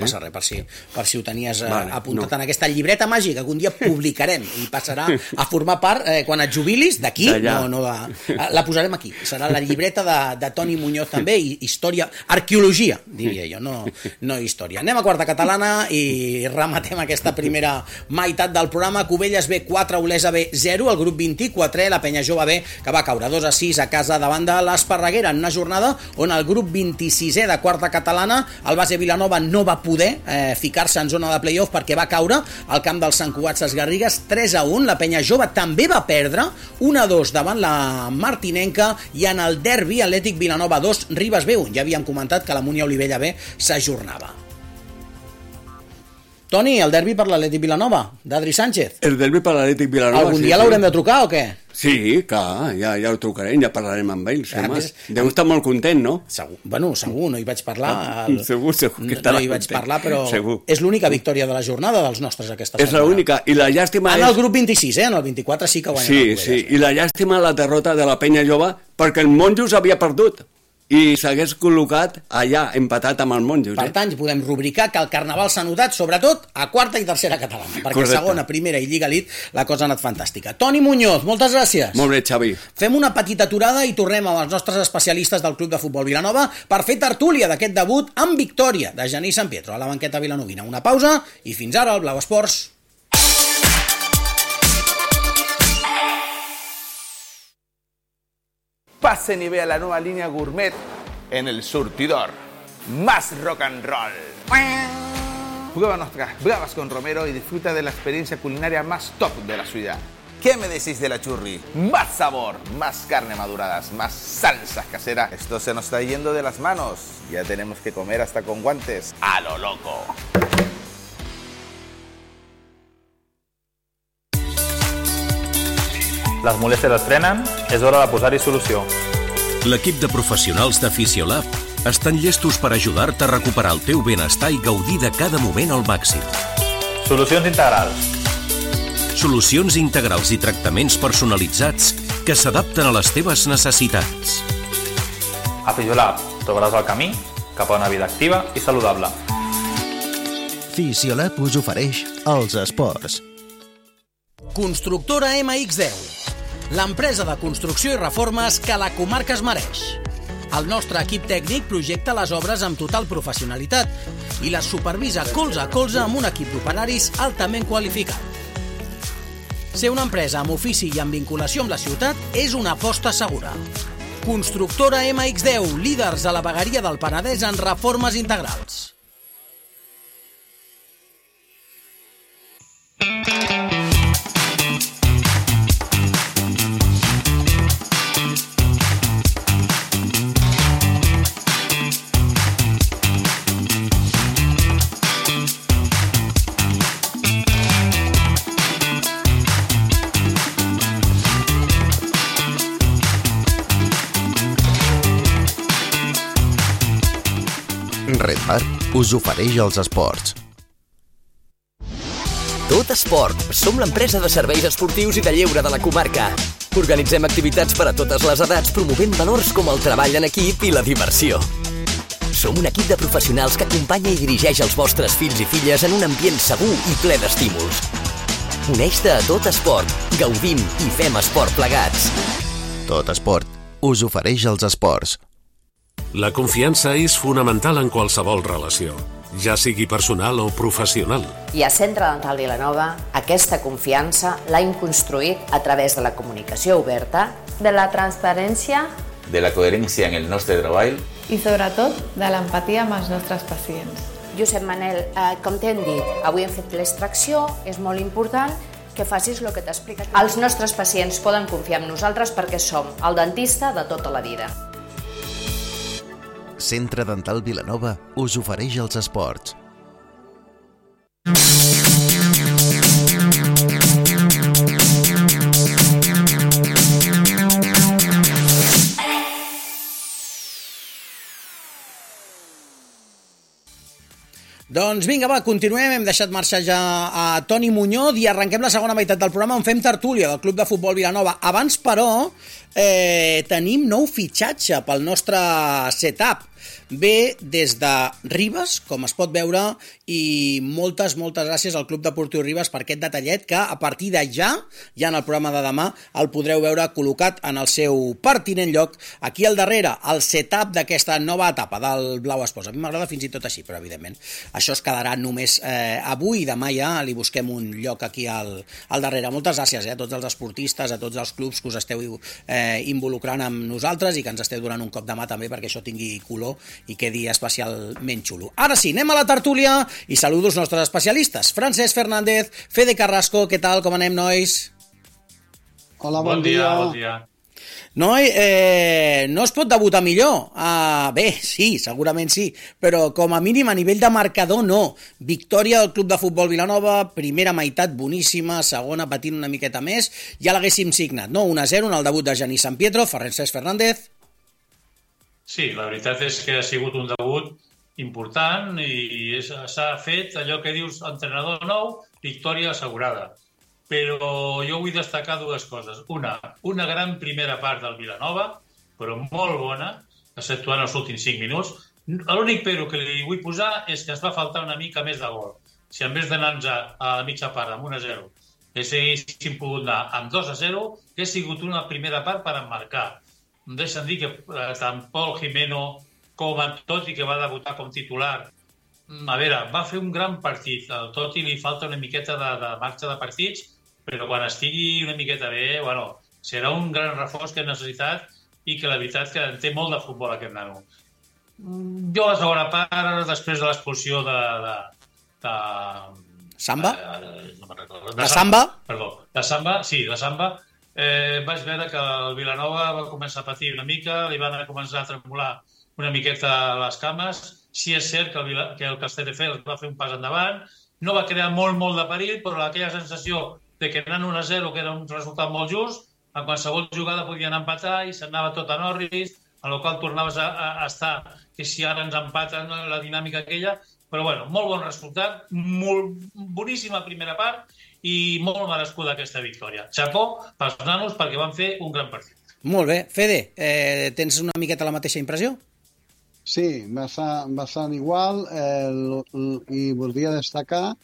per si ho tenies apuntat en aquesta llibreta màgica que un dia publicarem i passarà a formar part, quan et jubilis, d'aquí, la posarem aquí. Serà la llibreta de Toni Muñoz també, i història, arqueologia, diria jo, no història. Anem a quarta catalana i rematem aquesta primera meitat del programa. Cubelles B 4, Olesa B 0, el grup 24, la Penya Jove B, que va caure 2-6 a casa davant de l'Esparreguera, en una jornada on el grup 26è de quarta catalana, el base Vilanova, no va poder ficar-se en zona de playoff perquè va caure al camp dels Sant Cugat Ses Garrigues 3-1. La Penya Jove també va perdre 1-2 davant la Martinenca, i en el derbi Atlètic Vilanova 2, Ribes B 1. Ja havíem comentat que la Múnia Olivella B s'ajornava. Toni, el derbi per l'Atlètic Vilanova, d'Adri Sánchez. El derbi per l'Atlètic Vilanova. Algun dia l'haurem de trucar o què? Sí, clar, ja ho trucarem, ja parlarem amb ells. Deu estar molt content, no? Segur, no hi vaig parlar. Segur que estarà no hi vaig content. Parlar, però segur. És l'única victòria de la jornada dels nostres aquesta setmana. És l'única, i la llàstima en el grup 26, en el 24 sí que guanyem. Sí, i la llàstima la derrota de la Penya Jove, perquè el Monjos havia perdut i s'hagués col·locat allà, empatat amb el Monjos. Per tant, podem rubricar que el Carnaval s'ha notat, sobretot, a quarta i tercera catalana, perquè correcte. Segona, primera i Lliga Elite la cosa ha anat fantàstica. Toni Muñoz, moltes gràcies. Molt bé, Xavi. Fem una petita aturada i tornem amb els nostres especialistes del Club de Futbol Vilanova per fer tertúlia d'aquest debut amb victòria de Genís San Pietro a la banqueta vilanovina. Una pausa i fins ara al Blau Esports. Pasen y vea la nueva línea gourmet en El Surtidor. Más rock and roll. Prueba nuestras bravas con Romero y disfruta de la experiencia culinaria más top de la ciudad. ¿Qué me decís de la churri? Más sabor, más carne maduradas, más salsas caseras. Esto se nos está yendo de las manos. Ya tenemos que comer hasta con guantes. A lo loco. Les molèsties es frenen, és hora de posar-hi solució. L'equip de professionals de Fisiolab estan llestos per ajudar-te a recuperar el teu benestar i gaudir de cada moment al màxim. Solucions integrals. Solucions integrals i tractaments personalitzats que s'adapten a les teves necessitats. A Fisiolab trobaràs el camí cap a una vida activa i saludable. Fisiolab us ofereix els esports. Constructora MX10, l'empresa de construcció i reformes que la comarca es mereix. El nostre equip tècnic projecta les obres amb total professionalitat i les supervisa colze a colze amb un equip d'operaris altament qualificat. Ser una empresa amb ofici i amb vinculació amb la ciutat és una aposta segura. Constructora MX10, líders a la vegueria del Penedès en reformes integrals. Red Bar us ofereix els esports. Tot Esport. Som l'empresa de serveis esportius i de lleure de la comarca. Organitzem activitats per a totes les edats, promovent valors com el treball en equip i la diversió. Som un equip de professionals que acompanya i dirigeix els vostres fills i filles en un ambient segur i ple d'estímuls. Uneix-te a Tot Esport. Gaudim i fem esport plegats. Tot Esport us ofereix els esports. La confiança és fonamental en qualsevol relació, ja sigui personal o professional. I a Centre Dental Vilanova aquesta confiança l'hem construït a través de la comunicació oberta, de la transparència, de la coherència en el nostre treball i sobretot de l'empatia amb els nostres pacients. Josep Manel, com t'hem dit, avui hem fet l'extracció, és molt important que facis el que t'explica. Els nostres pacients poden confiar en nosaltres perquè som el dentista de tota la vida. Centre Dental Vilanova us ofereix els esports. Doncs vinga, va, continuem. Hem deixat marxar ja a Toni Muñoz i arrenquem la segona meitat del programa on fem tertúlia del Club de Futbol Vilanova. Abans, però, tenim nou fitxatge pel nostre setup. Ve des de Ribes, com es pot veure, i moltes gràcies al Club Deportiu Ribes per aquest detallet que a partir de ja en el programa de demà el podreu veure col·locat en el seu pertinent lloc aquí al darrere, el setup d'aquesta nova etapa del Blau Esports. A mi m'agrada fins i tot així, però evidentment això es quedarà només avui i demà ja li busquem un lloc aquí al darrere. Moltes gràcies a tots els esportistes, a tots els clubs que us esteu involucrant amb nosaltres i que ens esteu donant un cop de mà també perquè això tingui color i quedi especialment xulo. Ara sí, anem a la tertúlia i saludo els nostres especialistes. Francesc Fernández, Fede Carrasco, què tal, com anem, nois? Hola, bon dia. Bon dia. Noi, no es pot debutar millor? Bé, sí, segurament sí, però com a mínim a nivell de marcador no. Victòria del Club de Futbol Vilanova, primera meitat boníssima, segona patint una miqueta més, ja l'haguéssim signat, no? 1-0 en el debut de Genís San Pietro, Francesc Fernández. Sí, la veritat és que ha sigut un debut important i s'ha fet allò que dius entrenador nou, victòria assegurada. Però jo vull destacar dues coses. Una gran primera part del Vilanova, però molt bona, exceptuant els últims 5 minuts. L'únic però que li vull posar és que ens va faltar una mica més de gol. Si en vez d'anar a la mitja part amb 1-0 haguéssim pogut anar amb 2-0, que ha sigut una primera part per emmarcar. Em deixen dir que tant Pol Jimeno com en Totti, que va debutar com titular, a veure, va fer un gran partit. Al Totti li falta una miqueta de marxa de partits, però quan estigui una miqueta bé, bueno, serà un gran reforç que ha necessitat i que la veritat que en té molt de futbol aquest nano. Jo a la segona part, després de l'expulsió de Samba? No me'n recordo. De Samba? Perdó, de Samba, sí, de Samba. Vaig veure que el Vilanova va començar a patir una mica, li van començar a tremolar una miqueta les cames. Sí és cert que el Castelldefels va fer un pas endavant, no va crear molt de perill, però aquella sensació de que anant 1-0, que era un resultat molt just, en qualsevol jugada podien empatar i s'anava tot a Norris, en el qual tornaves a estar, que si ara ens empaten la dinàmica aquella, però bueno, molt bon resultat, molt boníssima primera part i molt merescuda aquesta victòria. Chapó pels nanos perquè van fer un gran partit. Molt bé. Fede, tens una miqueta la mateixa impressió? Sí, bastant igual i voldria destacar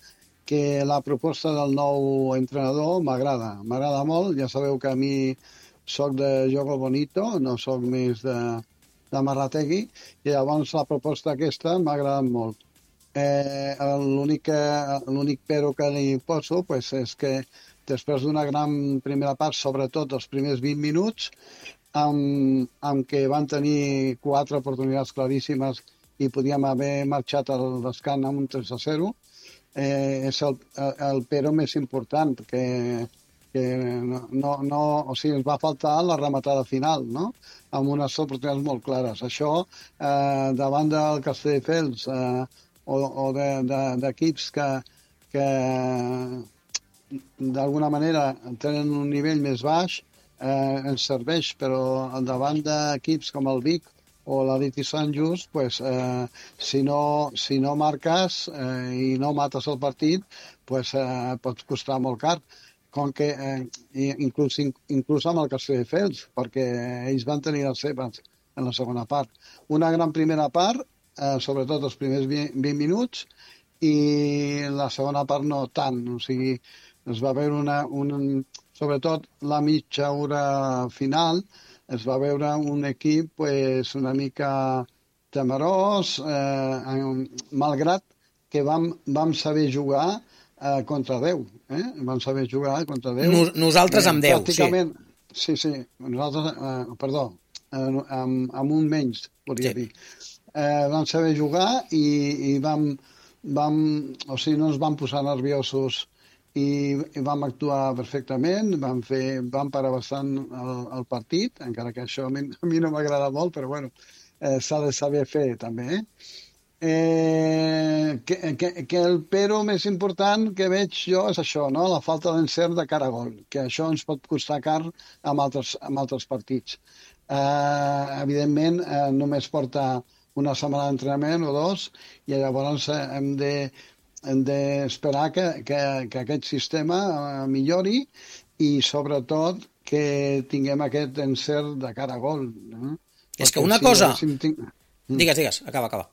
que la proposta del nou entrenador m'agrada molt. Ja sabeu que a mi soc de jogo bonito, no soc més de Marrategui, i llavors la proposta aquesta m'ha agradat molt. L'únic però que li poso és que després d'una gran primera part, sobretot els primers 20 minuts, amb què van tenir 4 oportunitats claríssimes i podíem haver marxat al descans amb un 3-0, és el però més important, que o sigui, ens va faltar la rematada final, no? Amb unes oportunitats molt clares. Això, davant del Castelldefels o d'equips que d'alguna manera tenen un nivell més baix, ens serveix, però davant d'equips com el Vic o l'Atleti Sant Just, si no marques i no mates el partit, pot costar molt car. Com que inclús amb el Castelldefels, perquè ells van tenir les seves en la segona part. Una gran primera part, sobretot els primers 20 minuts, i la segona part no tant. O sigui, es va veure sobretot la mitja hora final, es va veure un equip una mica temerós, malgrat que vam saber jugar contra Déu. Vam saber jugar contra Déu. Nosaltres amb Déu, sí. Sí, nosaltres, perdó, amb un menys, podria dir. Vam saber jugar i o sigui, no ens vam posar nerviosos i vam actuar perfectament, vam parar bastant el partit, encara que això a mi no m'agrada molt, però bueno, s'ha de saber fer també, que el però més important que veig jo és això, no? La falta d'encert de cara a gol, que això ens pot costar car amb altres partits. Evidentment, només porta una setmana d'entrenament o dos, i llavors hem d'esperar que aquest sistema millori i, sobretot, que tinguem aquest encert de cara a gol. És que una cosa... Digues, acaba.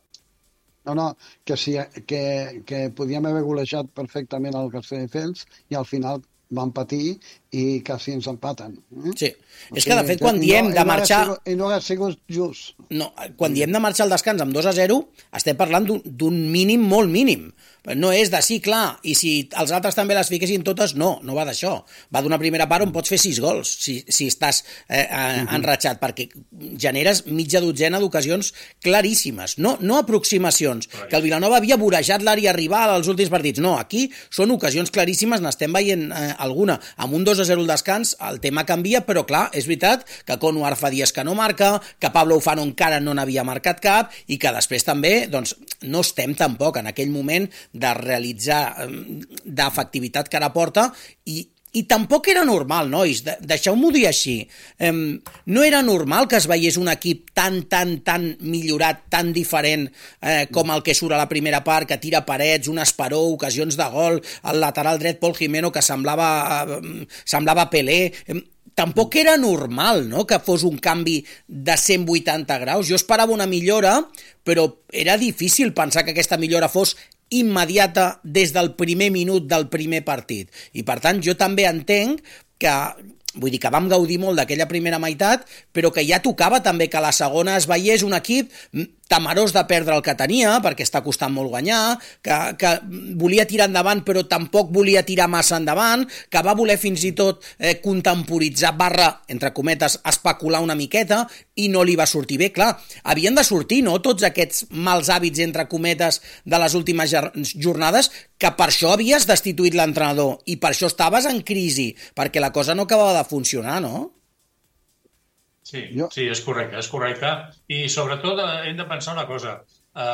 No, que podíem haver golejat perfectament el Castelldefels i al final van patir i quasi ens empaten. Sí, és que de fet quan diem de marxar... I no ha sigut just. No, quan diem de marxar al descans amb 2-0, estem parlant d'un mínim molt mínim. No és de sí, clar, i si els altres també les fiquessin totes, no va d'això. Va d'una primera part on pots fer 6 gols, si estàs enratxat, perquè generes mitja dotzena d'ocasions claríssimes, no aproximacions, que el Vilanova havia vorejat l'àrea rival als últims partits. No, aquí són ocasions claríssimes, n'estem veient alguna. Amb un 2-0 al descans el tema canvia, però clar, és veritat que Konuar fa dies que no marca, que Pablo Ufano encara no n'havia marcat cap, i que després també, doncs, no estem tampoc en aquell moment de realitzar d'efectivitat que ara porta, i tampoc era normal, nois, deixeu-m'ho dir així, no era normal que es veiés un equip tan millorat, tan diferent com el que surt a la primera part, que tira parets, un esperó, ocasions de gol, el lateral dret Pol Jimeno que semblava Pelé. Tampoc era normal, no?, que fos un canvi de 180 graus. Jo esperava una millora, però era difícil pensar que aquesta millora fos immediata des del primer minut del primer partit. I per tant jo també entenc que, vull dir que vam gaudir molt d'aquella primera meitat, però que ja tocava també que a la segona es veiés un equip temerós de perdre el que tenia, perquè està costant molt guanyar, que volia tirar endavant però tampoc volia tirar massa endavant, que va voler fins i tot contemporitzar / entre cometes, especular una miqueta, i no li va sortir bé. Clar, havien de sortir, no?, tots aquests mals hàbits, entre cometes, de les últimes jornades, que per això havies destituït l'entrenador, i per això estaves en crisi, perquè la cosa no acabava de funcionar, no? Sí, és correcte. I sobretot hem de pensar una cosa.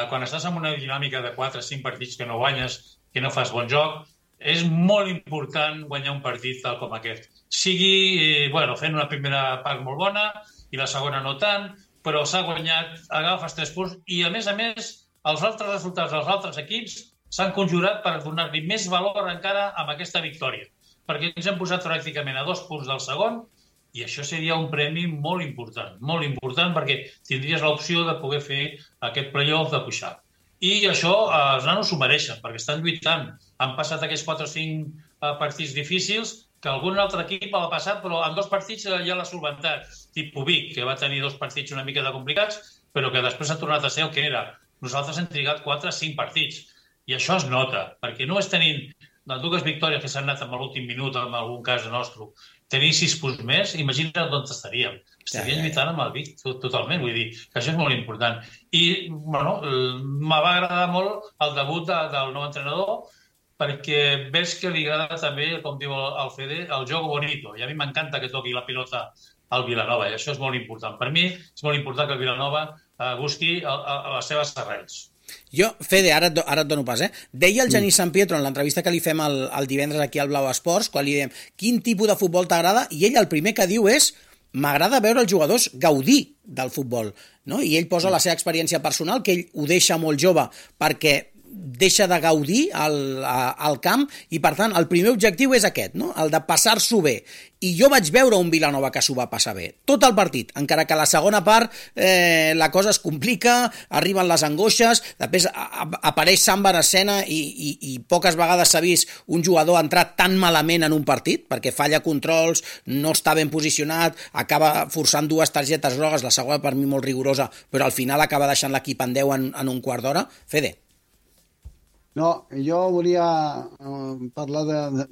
Quan estàs en una dinàmica de 4 o 5 partits que no guanyes, que no fas bon joc, és molt important guanyar un partit tal com aquest. Sigui, fent una primera part molt bona i la segona no tant, però s'ha guanyat, agafes 3 punts i, a més, els altres resultats dels altres equips s'han conjurat per donar-li més valor encara amb aquesta victòria. Perquè ens hem posat pràcticament a 2 punts del segon, i això seria un premi molt important perquè tindries l'opció de poder fer aquest play-off de pujar. I això els nanos s'ho mereixen, perquè estan lluitant. Han passat aquests 4 o 5 partits difícils que algun altre equip l'ha passat, però en 2 partits ja l'ha solventat. Tipus Vic, que va tenir 2 partits una mica de complicats, però que després ha tornat a ser el que era. Nosaltres hem trigat 4 o 5 partits. I això es nota, perquè no és tenint les 2 victòries que s'han anat en l'últim minut, en algun cas nostre, tenir 6 punts més, imagina't on estaríem. Estaríem lluitant amb el Vic totalment, vull dir que això és molt important. I, me va agradar molt el debut del nou entrenador, perquè veig que li agrada també, com diu el Fede, el joc bonito. I a mi m'encanta que toqui la pilota al Vilanova, i això és molt important. Per mi és molt important que el Vilanova busqui les seves arrels. Jo, Fede, ara et dono pas, deia el Genís Sampietro en l'entrevista que li fem el divendres aquí al Blau Esports, quan li diem quin tipus de futbol t'agrada, i ell el primer que diu és m'agrada veure els jugadors gaudir del futbol, no? I ell posa la seva experiència personal, que ell ho deixa molt jove perquè deixa de gaudir al camp, i per tant el primer objectiu és aquest, no?, el de passar-s'ho bé. I jo vaig veure un Vilanova que s'ho va passar bé tot el partit, encara que a la segona part la cosa es complica, arriben les angoixes, després apareix Samba en escena i poques vegades s'ha vist un jugador entrar tan malament en un partit, perquè falla controls, no està ben posicionat, acaba forçant 2 targetes grogues, la segona per mi molt rigorosa, però al final acaba deixant l'equip en 10 en un quart d'hora. Fede. No, jo volia parlar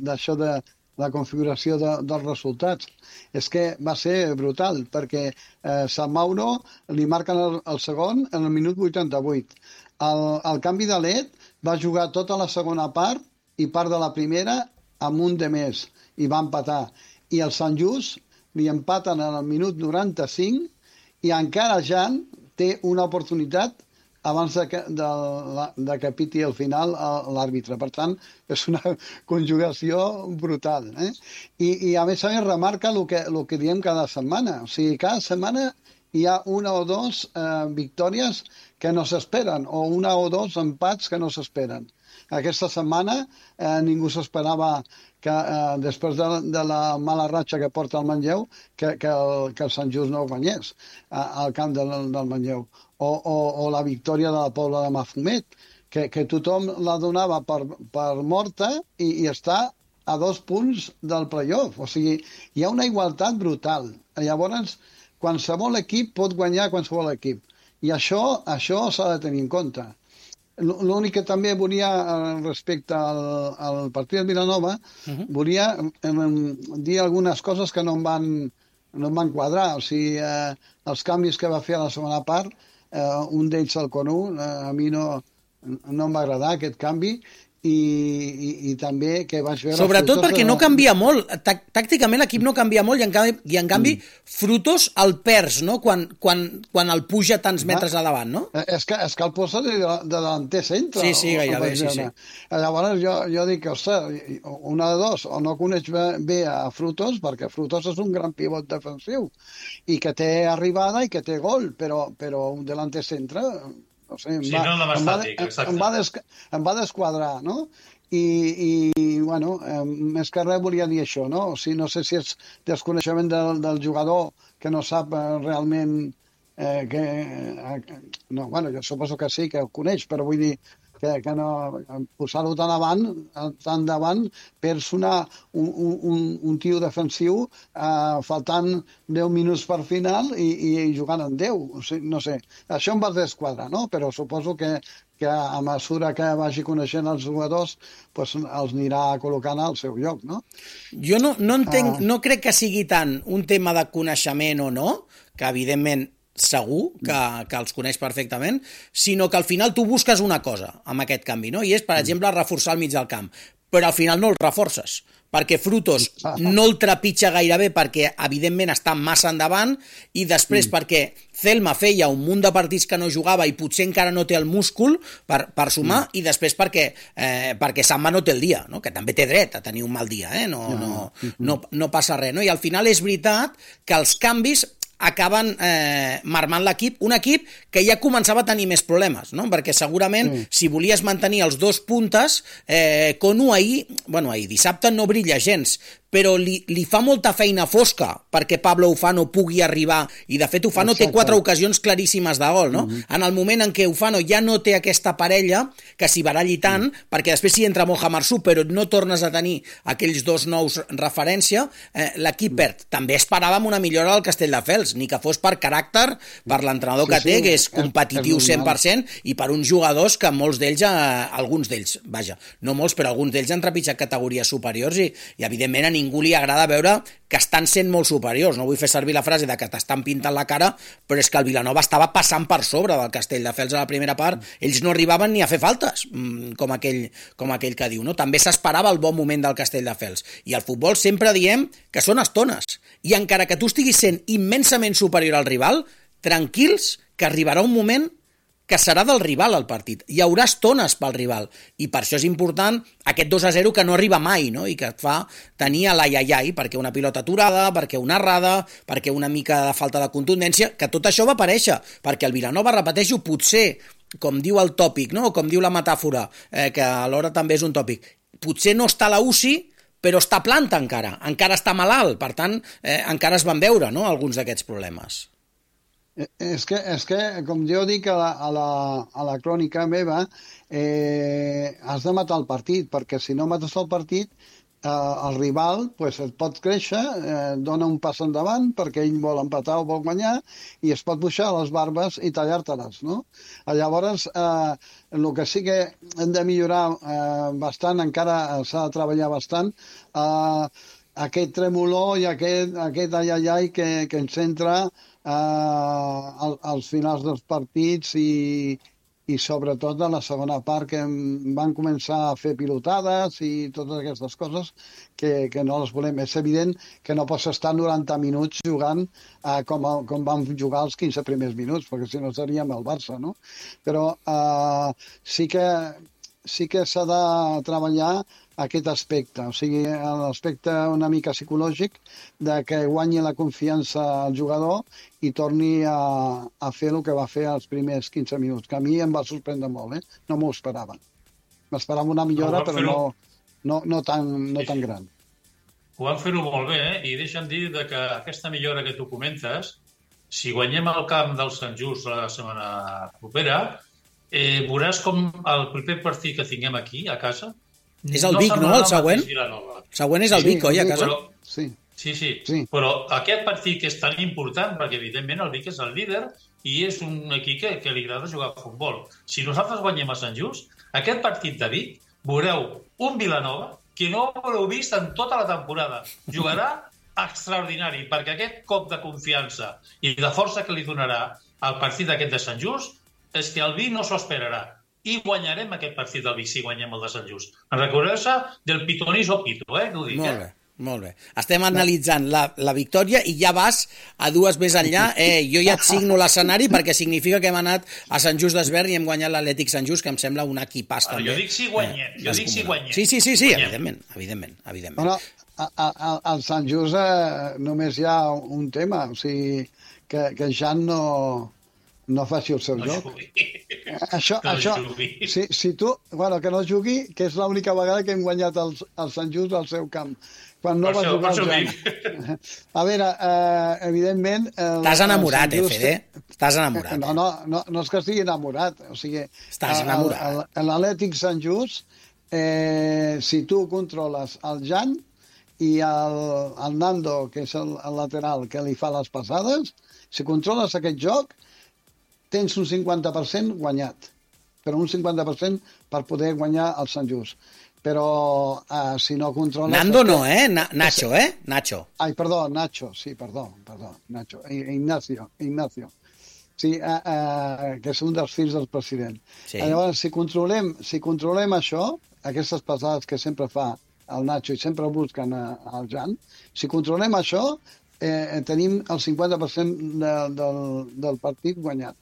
d'això de la configuració dels resultats. És que va ser brutal, perquè Sant Mauro li marquen el segon en el minut 88. El canvi de led va jugar tota la segona part i part de la primera amb un de més, i va empatar. I el Sant Just li empaten en el minut 95 i encara Jan té una oportunitat abans de que piti al final l'àrbitre. Per tant, és una conjugació brutal. I a més remarca el que diem cada setmana. O sigui, cada setmana hi ha 1 o 2 victòries que no s'esperen, o una o dos empats que no s'esperen. Aquesta setmana ningú s'esperava que després de la mala ratxa que porta el Manlleu, que el Sant Just no guanyés al camp del Manlleu. O la victòria de la Pobla de Mafumet, que tothom la donava per morta i està a 2 punts del playoff. O sigui, hi ha una igualtat brutal. Llavors, qualsevol equip pot guanyar qualsevol equip. I això s'ha de tenir en compte. L'únic que també volia, respecte al partit de Vilanova, volia dir algunes coses que no em van quadrar. O sigui, els canvis que va fer a la segona part, un d'ells el Conú, a mi no em va agradar aquest canvi, i també que vaig veure... Sobretot perquè no canvia molt. Tàcticament l'equip no canvia molt i en canvi Frutos el perds, no? Quan el puja tants metres a davant, no? És que el posa de delanter centre. Sí, gairebé, sí. Llavors jo dic, ostres, una de dos, o no coneix bé a Frutos, perquè Frutos és un gran pivot defensiu, i que té arribada i que té gol, però un delanter centre... No sé, em va desquadrar, no? I bueno, més que res volia dir això, no? O sigui, no sé si és desconeixement del jugador que no sap realment no, bueno, jo suposo que sí, que ho coneix, però vull dir que no posar-ho tan davant perds un tio defensiu faltant 10 minuts per final i jugant en 10. O sigui, no sé, això em va desquadrar, no? Però suposo que a mesura que vagi coneixent els jugadors doncs els anirà col·locant al seu lloc, no? Jo no entenc, no crec que sigui tant un tema de coneixement o no, que evidentment segur que els coneix perfectament, sinó que al final tu busques una cosa amb aquest canvi, no? I és, per exemple, reforçar el mig del camp, però al final no el reforces, perquè Frutos no el trepitja gairebé perquè evidentment està massa endavant, i després perquè Celma feia un munt de partits que no jugava i potser encara no té el múscul per sumar, i després perquè Samba no té el dia, no? Que també té dret a tenir un mal dia, no passa res, no? I al final és veritat que els canvis acaben marmant l'equip, un equip que ja començava a tenir més problemes, no? Perquè segurament si volies mantenir els 2 puntes, Conu ahir dissabte no brilla gens, però li fa molta feina fosca perquè Pablo Ufano pugui arribar, i de fet Ufano té 4 ocasions claríssimes de gol, no? En el moment en què Ufano ja no té aquesta parella que s'hi baralli tant, perquè després s'hi entra Moja Marsú, però no tornes a tenir aquells 2 nous referència, l'equip perd. També esperàvem una millora al Castelldefels, ni que fos per caràcter, per l'entrenador que té, que és competitiu 100%, i per uns jugadors que molts d'ells, alguns d'ells, vaja, no molts, però alguns d'ells han trepitjat categories superiors, i evidentment a ningú li agrada veure que estan sent molt superiors. No vull fer servir la frase de que t'estan pintant la cara, però és que el Vilanova estava passant per sobre del Castelldefels a la primera part. Ells no arribaven ni a fer faltes, com aquell que diu, no? També s'esperava el bon moment del Castelldefels. I al futbol sempre diem que són estones. I encara que tu estiguis sent immensament superior al rival, tranquils, que arribarà un moment que serà del rival el partit. Hi haurà estones pel rival, i per això és important aquest 2-0 que no arriba mai, no? I que et fa tenir a l'ai-ai-ai, perquè una pilota aturada, perquè una errada, perquè una mica de falta de contundència, que tot això va aparèixer, perquè el Vilanova, repeteixo, potser, com diu el tòpic, no? O com diu la metàfora, que alhora també és un tòpic, potser no està a la UCI, però està planta encara està malalt, per tant, encara es van veure, no?, alguns d'aquests problemes. És que, com jo dic a la crònica meva, has de matar el partit, perquè si no mates el partit, el rival et pot créixer, dona un pas endavant perquè ell vol empatar o vol guanyar, i es pot pujar les barbes i tallar-te-les, no? Llavors, el que sí que hem de millorar bastant, encara s'ha de treballar bastant, aquest tremolor i aquest ai-ai-ai que ens entra als finals dels partits i sobretot a la segona part, que van començar a fer pilotades i totes aquestes coses que no les volem. És evident que no pots estar 90 minuts jugant com vam jugar els 15 primers minuts, perquè si no seríem el Barça, no? Però sí que s'ha de treballar aquest aspecte, o sigui, l'aspecte una mica psicològic de que guanyi la confiança al jugador i torni a fer el que va fer els primers 15 minuts, que a mi em va sorprendre molt, no m'ho esperava. M'esperava una millora, però no tan gran. Ho van fer-ho molt bé, i deixa'm dir que aquesta millora que tu comentes, si guanyem el camp del Sant Just la setmana propera, veuràs com el proper partit que tinguem aquí, a casa... És el Vic, no, el següent? El següent és el Vic, oi, a casa? Sí, però aquest partit que és tan important, perquè evidentment el Vic és el líder i és un equip que li agrada jugar a futbol. Si nosaltres guanyem a Sant Just, aquest partit de Vic, veureu un Vilanova que no l'heu vist en tota la temporada. Jugarà extraordinari, perquè aquest cop de confiança i de força que li donarà al partit d'aquest de Sant Just és que el Vic no s'ho esperarà. I guanyarem aquest partit del Vic si guanyem el de Sant Just. En recordeu-se del pitoniso pito, que ho dic, Molt bé. Estem analitzant la victòria i ja vas a dues més enllà. Jo ja et signo l'escenari perquè significa que hem anat a Sant Just d'Esvern i hem guanyat l'Atlètic Sant Just, que em sembla un equipàs també. Jo dic si guanyem. Sí, evidentment. Bueno, al Sant Just només hi ha un tema, o sigui, que Jan no faci el seu joc. Això, si tu, que no jugui, que és l'única vegada que hem guanyat el Sant Just al seu camp, quan no va jugar el Jan. A veure, evidentment... T'has enamorat, Fede? Estàs enamorat. No és que estigui enamorat, o sigui... Estàs enamorat. L'Atlètic Sant Just, si tu controles el Jan i el Nando, que és el lateral que li fa les passades, si controles aquest joc, tens un 50% guanyat, però un 50% per poder guanyar el Sant Just. Però si no controles... Nando no, Nacho, Nacho. Ai, perdó, Nacho, sí, perdó, Nacho. Ignacio. Sí, que és un dels fills del president. Sí. Llavors, si controlem això, aquestes passades que sempre fa el Nacho i sempre busquen el Jan, si controlem això, tenim el 50% del partit guanyat.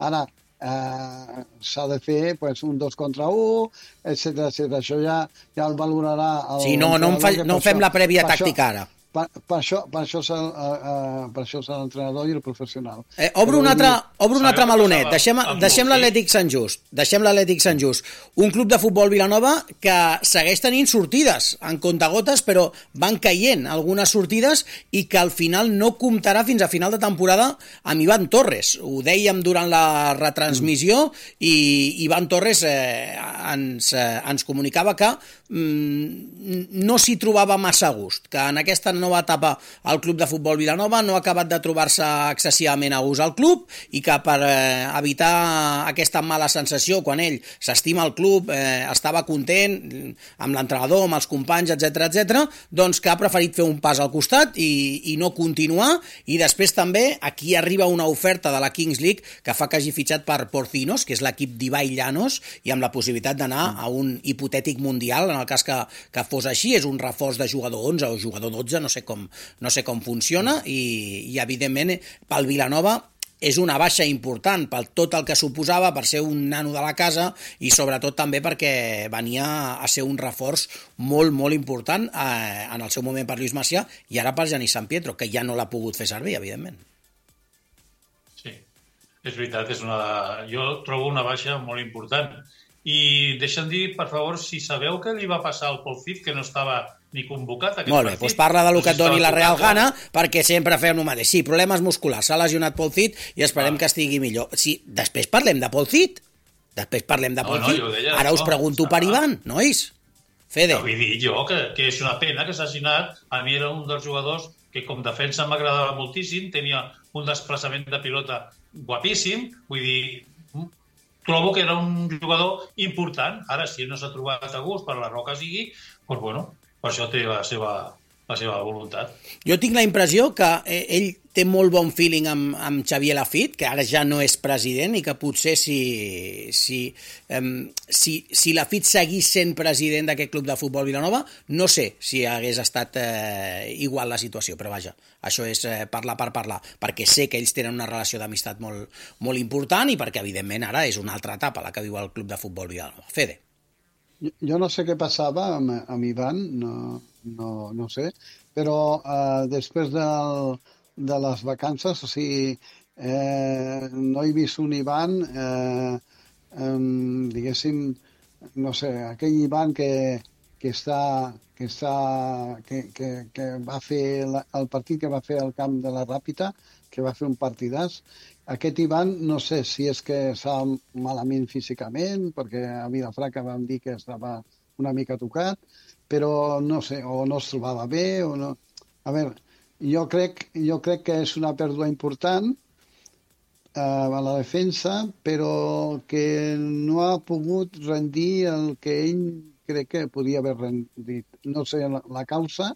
Ara, s'ha de fer un 2 contra 1, etc. Això ja el valorarà... Sí, no fem la prèvia tàctica ara. Per això serà l'entrenador i el professional. Obro un altre melonet. Deixem l'Atlètic Sant Just. Un club de futbol Vilanova que segueix tenint sortides en comptagotes, però van caient algunes sortides i que al final no comptarà fins a final de temporada amb Ivan Torres. Ho dèiem durant la retransmissió i Ivan Torres ens comunicava que no s'hi trobava massa a gust, que en aquesta nova etapa al club de futbol Vilanova no ha acabat de trobar-se excessivament a gust al club i que per evitar aquesta mala sensació quan ell s'estima el club, estava content amb l'entrenador, amb els companys, etc., doncs que ha preferit fer un pas al costat i no continuar. I després també aquí arriba una oferta de la Kings League que fa que hagi fitxat per Porcinos, que és l'equip d'Ibai Llanos, i amb la possibilitat d'anar a un hipotètic mundial, en el cas que fos així. És un reforç de jugador 11 o jugador 12, no sé com funciona, i evidentment pel Vilanova és una baixa important per tot el que suposava, per ser un nano de la casa i sobretot també perquè venia a ser un reforç molt, molt important en el seu moment per Lluís Macià i ara per Genís Sant Pietro, que ja no l'ha pogut fer servir, evidentment. Sí, és veritat, jo trobo una baixa molt important. I deixa'm dir, per favor, si sabeu què li va passar al Pol Cid, que no estava ni convocat a aquest Molt bé, partit. doncs parla del que et doni la Real Gana, perquè sempre fem el mateix. Sí, problemes musculars, s'ha lesionat Pol Cid i esperem que estigui millor. Sí, després parlem de Pol Cid. Ara us pregunto per Ivan, nois. Fede. Vull dir jo que és una pena que s'hagi anat. A mi era un dels jugadors que com defensa m'agradava moltíssim, tenia un desplaçament de pilota guapíssim, vull dir... Trobo que era un jugador important. Ara, si no s'ha trobat a gust per la raó que sigui, doncs, bueno, per això té la seva voluntat. Jo tinc la impressió que ell té molt bon feeling amb Xavier Lafitte, que ara ja no és president, i que potser si Lafitte seguís sent president d'aquest club de futbol Vilanova, no sé si hagués estat igual la situació, però vaja, això és parlar per parlar, perquè sé que ells tenen una relació d'amistat molt, molt important i perquè, evidentment, ara és una altra etapa la que viu el club de futbol Vilanova. Fede. Jo no sé què passava amb Ivan, no sé, però després de les vacances, o sigui, no he vist un Ivan, diguéssim, no sé, aquell Ivan que va fer el partit que va fer al camp de la Ràpita, que va fer un partidàs. Aquest Ivan, no sé si és que estava malament físicament, perquè a Vilafranca vam dir que estava una mica tocat, però no sé, o no es trobava bé, o no... A veure, jo crec que és una pèrdua important a la defensa, però que no ha pogut rendir el que ell crec que podia haver rendit. No sé la causa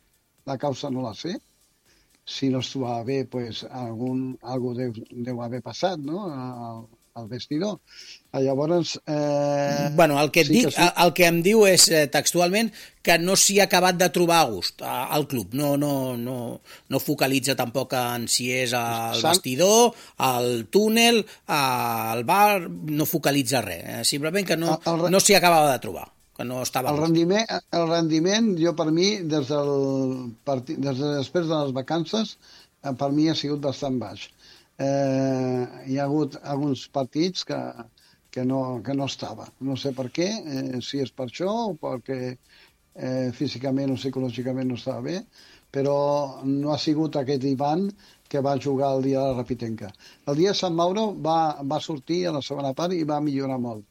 no la sé. Si no es trobava bé, pues, algú deu haver passat, no?, al vestidor. Llavors... Bueno, el que et dic, el que em diu és textualment que no s'hi ha acabat de trobar a gust al club. No focalitza tampoc en si és al vestidor, al túnel, al bar, no focalitza res. Simplement que no s'hi acabava de trobar, que no estava a gust. El rendiment, jo per mi, des de després de les vacances, per mi ha sigut bastant baix. Hi ha hagut alguns partits que no estava. No sé per què, si és per això o perquè físicament o psicològicament no estava bé, però no ha sigut aquest Ivan que va jugar el dia de la Rapitenca. El dia de Sant Mauro va sortir a la segona part i va millorar molt,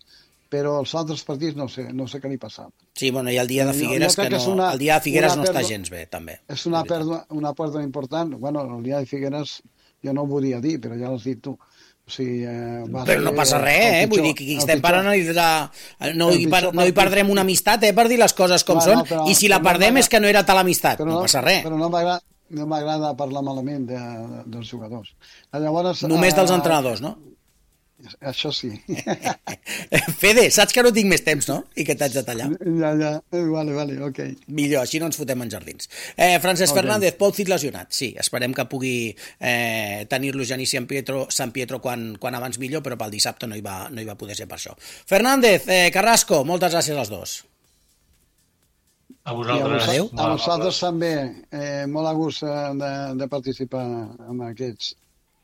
però els altres partits no sé què li passava. Sí, bueno, i el dia de Figueres, el dia de Figueres no està gens bé, també. És una pèrdua important. Bueno, el dia de Figueres jo no ho volia dir, però ja l'has dit tu. O sigui, però no passa res, vull dir que estem per analitzar... No hi perdrem una amistat, per dir les coses com són, i si la perdem és que no era tal amistat, no passa res. Però no m'agrada parlar malament dels jugadors. Llavors, només dels entrenadors, no? Això sí. Fede, saps que no tinc més temps, no? I que t'haig de tallar. Ja. Vale, ok. Millor, així no ens fotem en jardins. Francesc Fernández, Pol Cid lesionat. Sí, esperem que pugui tenir-lo Genís Sant Pietro quan abans millor, però pel dissabte no hi va poder ser per això. Fernández, Carrasco, moltes gràcies als dos. A vosaltres. Adéu. A vosaltres també. Molt a gust de participar en aquests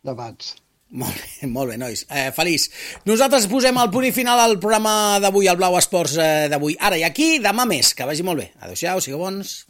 debats. Molt bé, nois. Feliç. Nosaltres posem el punt i final al programa d'avui, al Blau Esports d'avui. Ara i aquí, demà més. Que vagi molt bé. Adéu-siau, sigueu bons.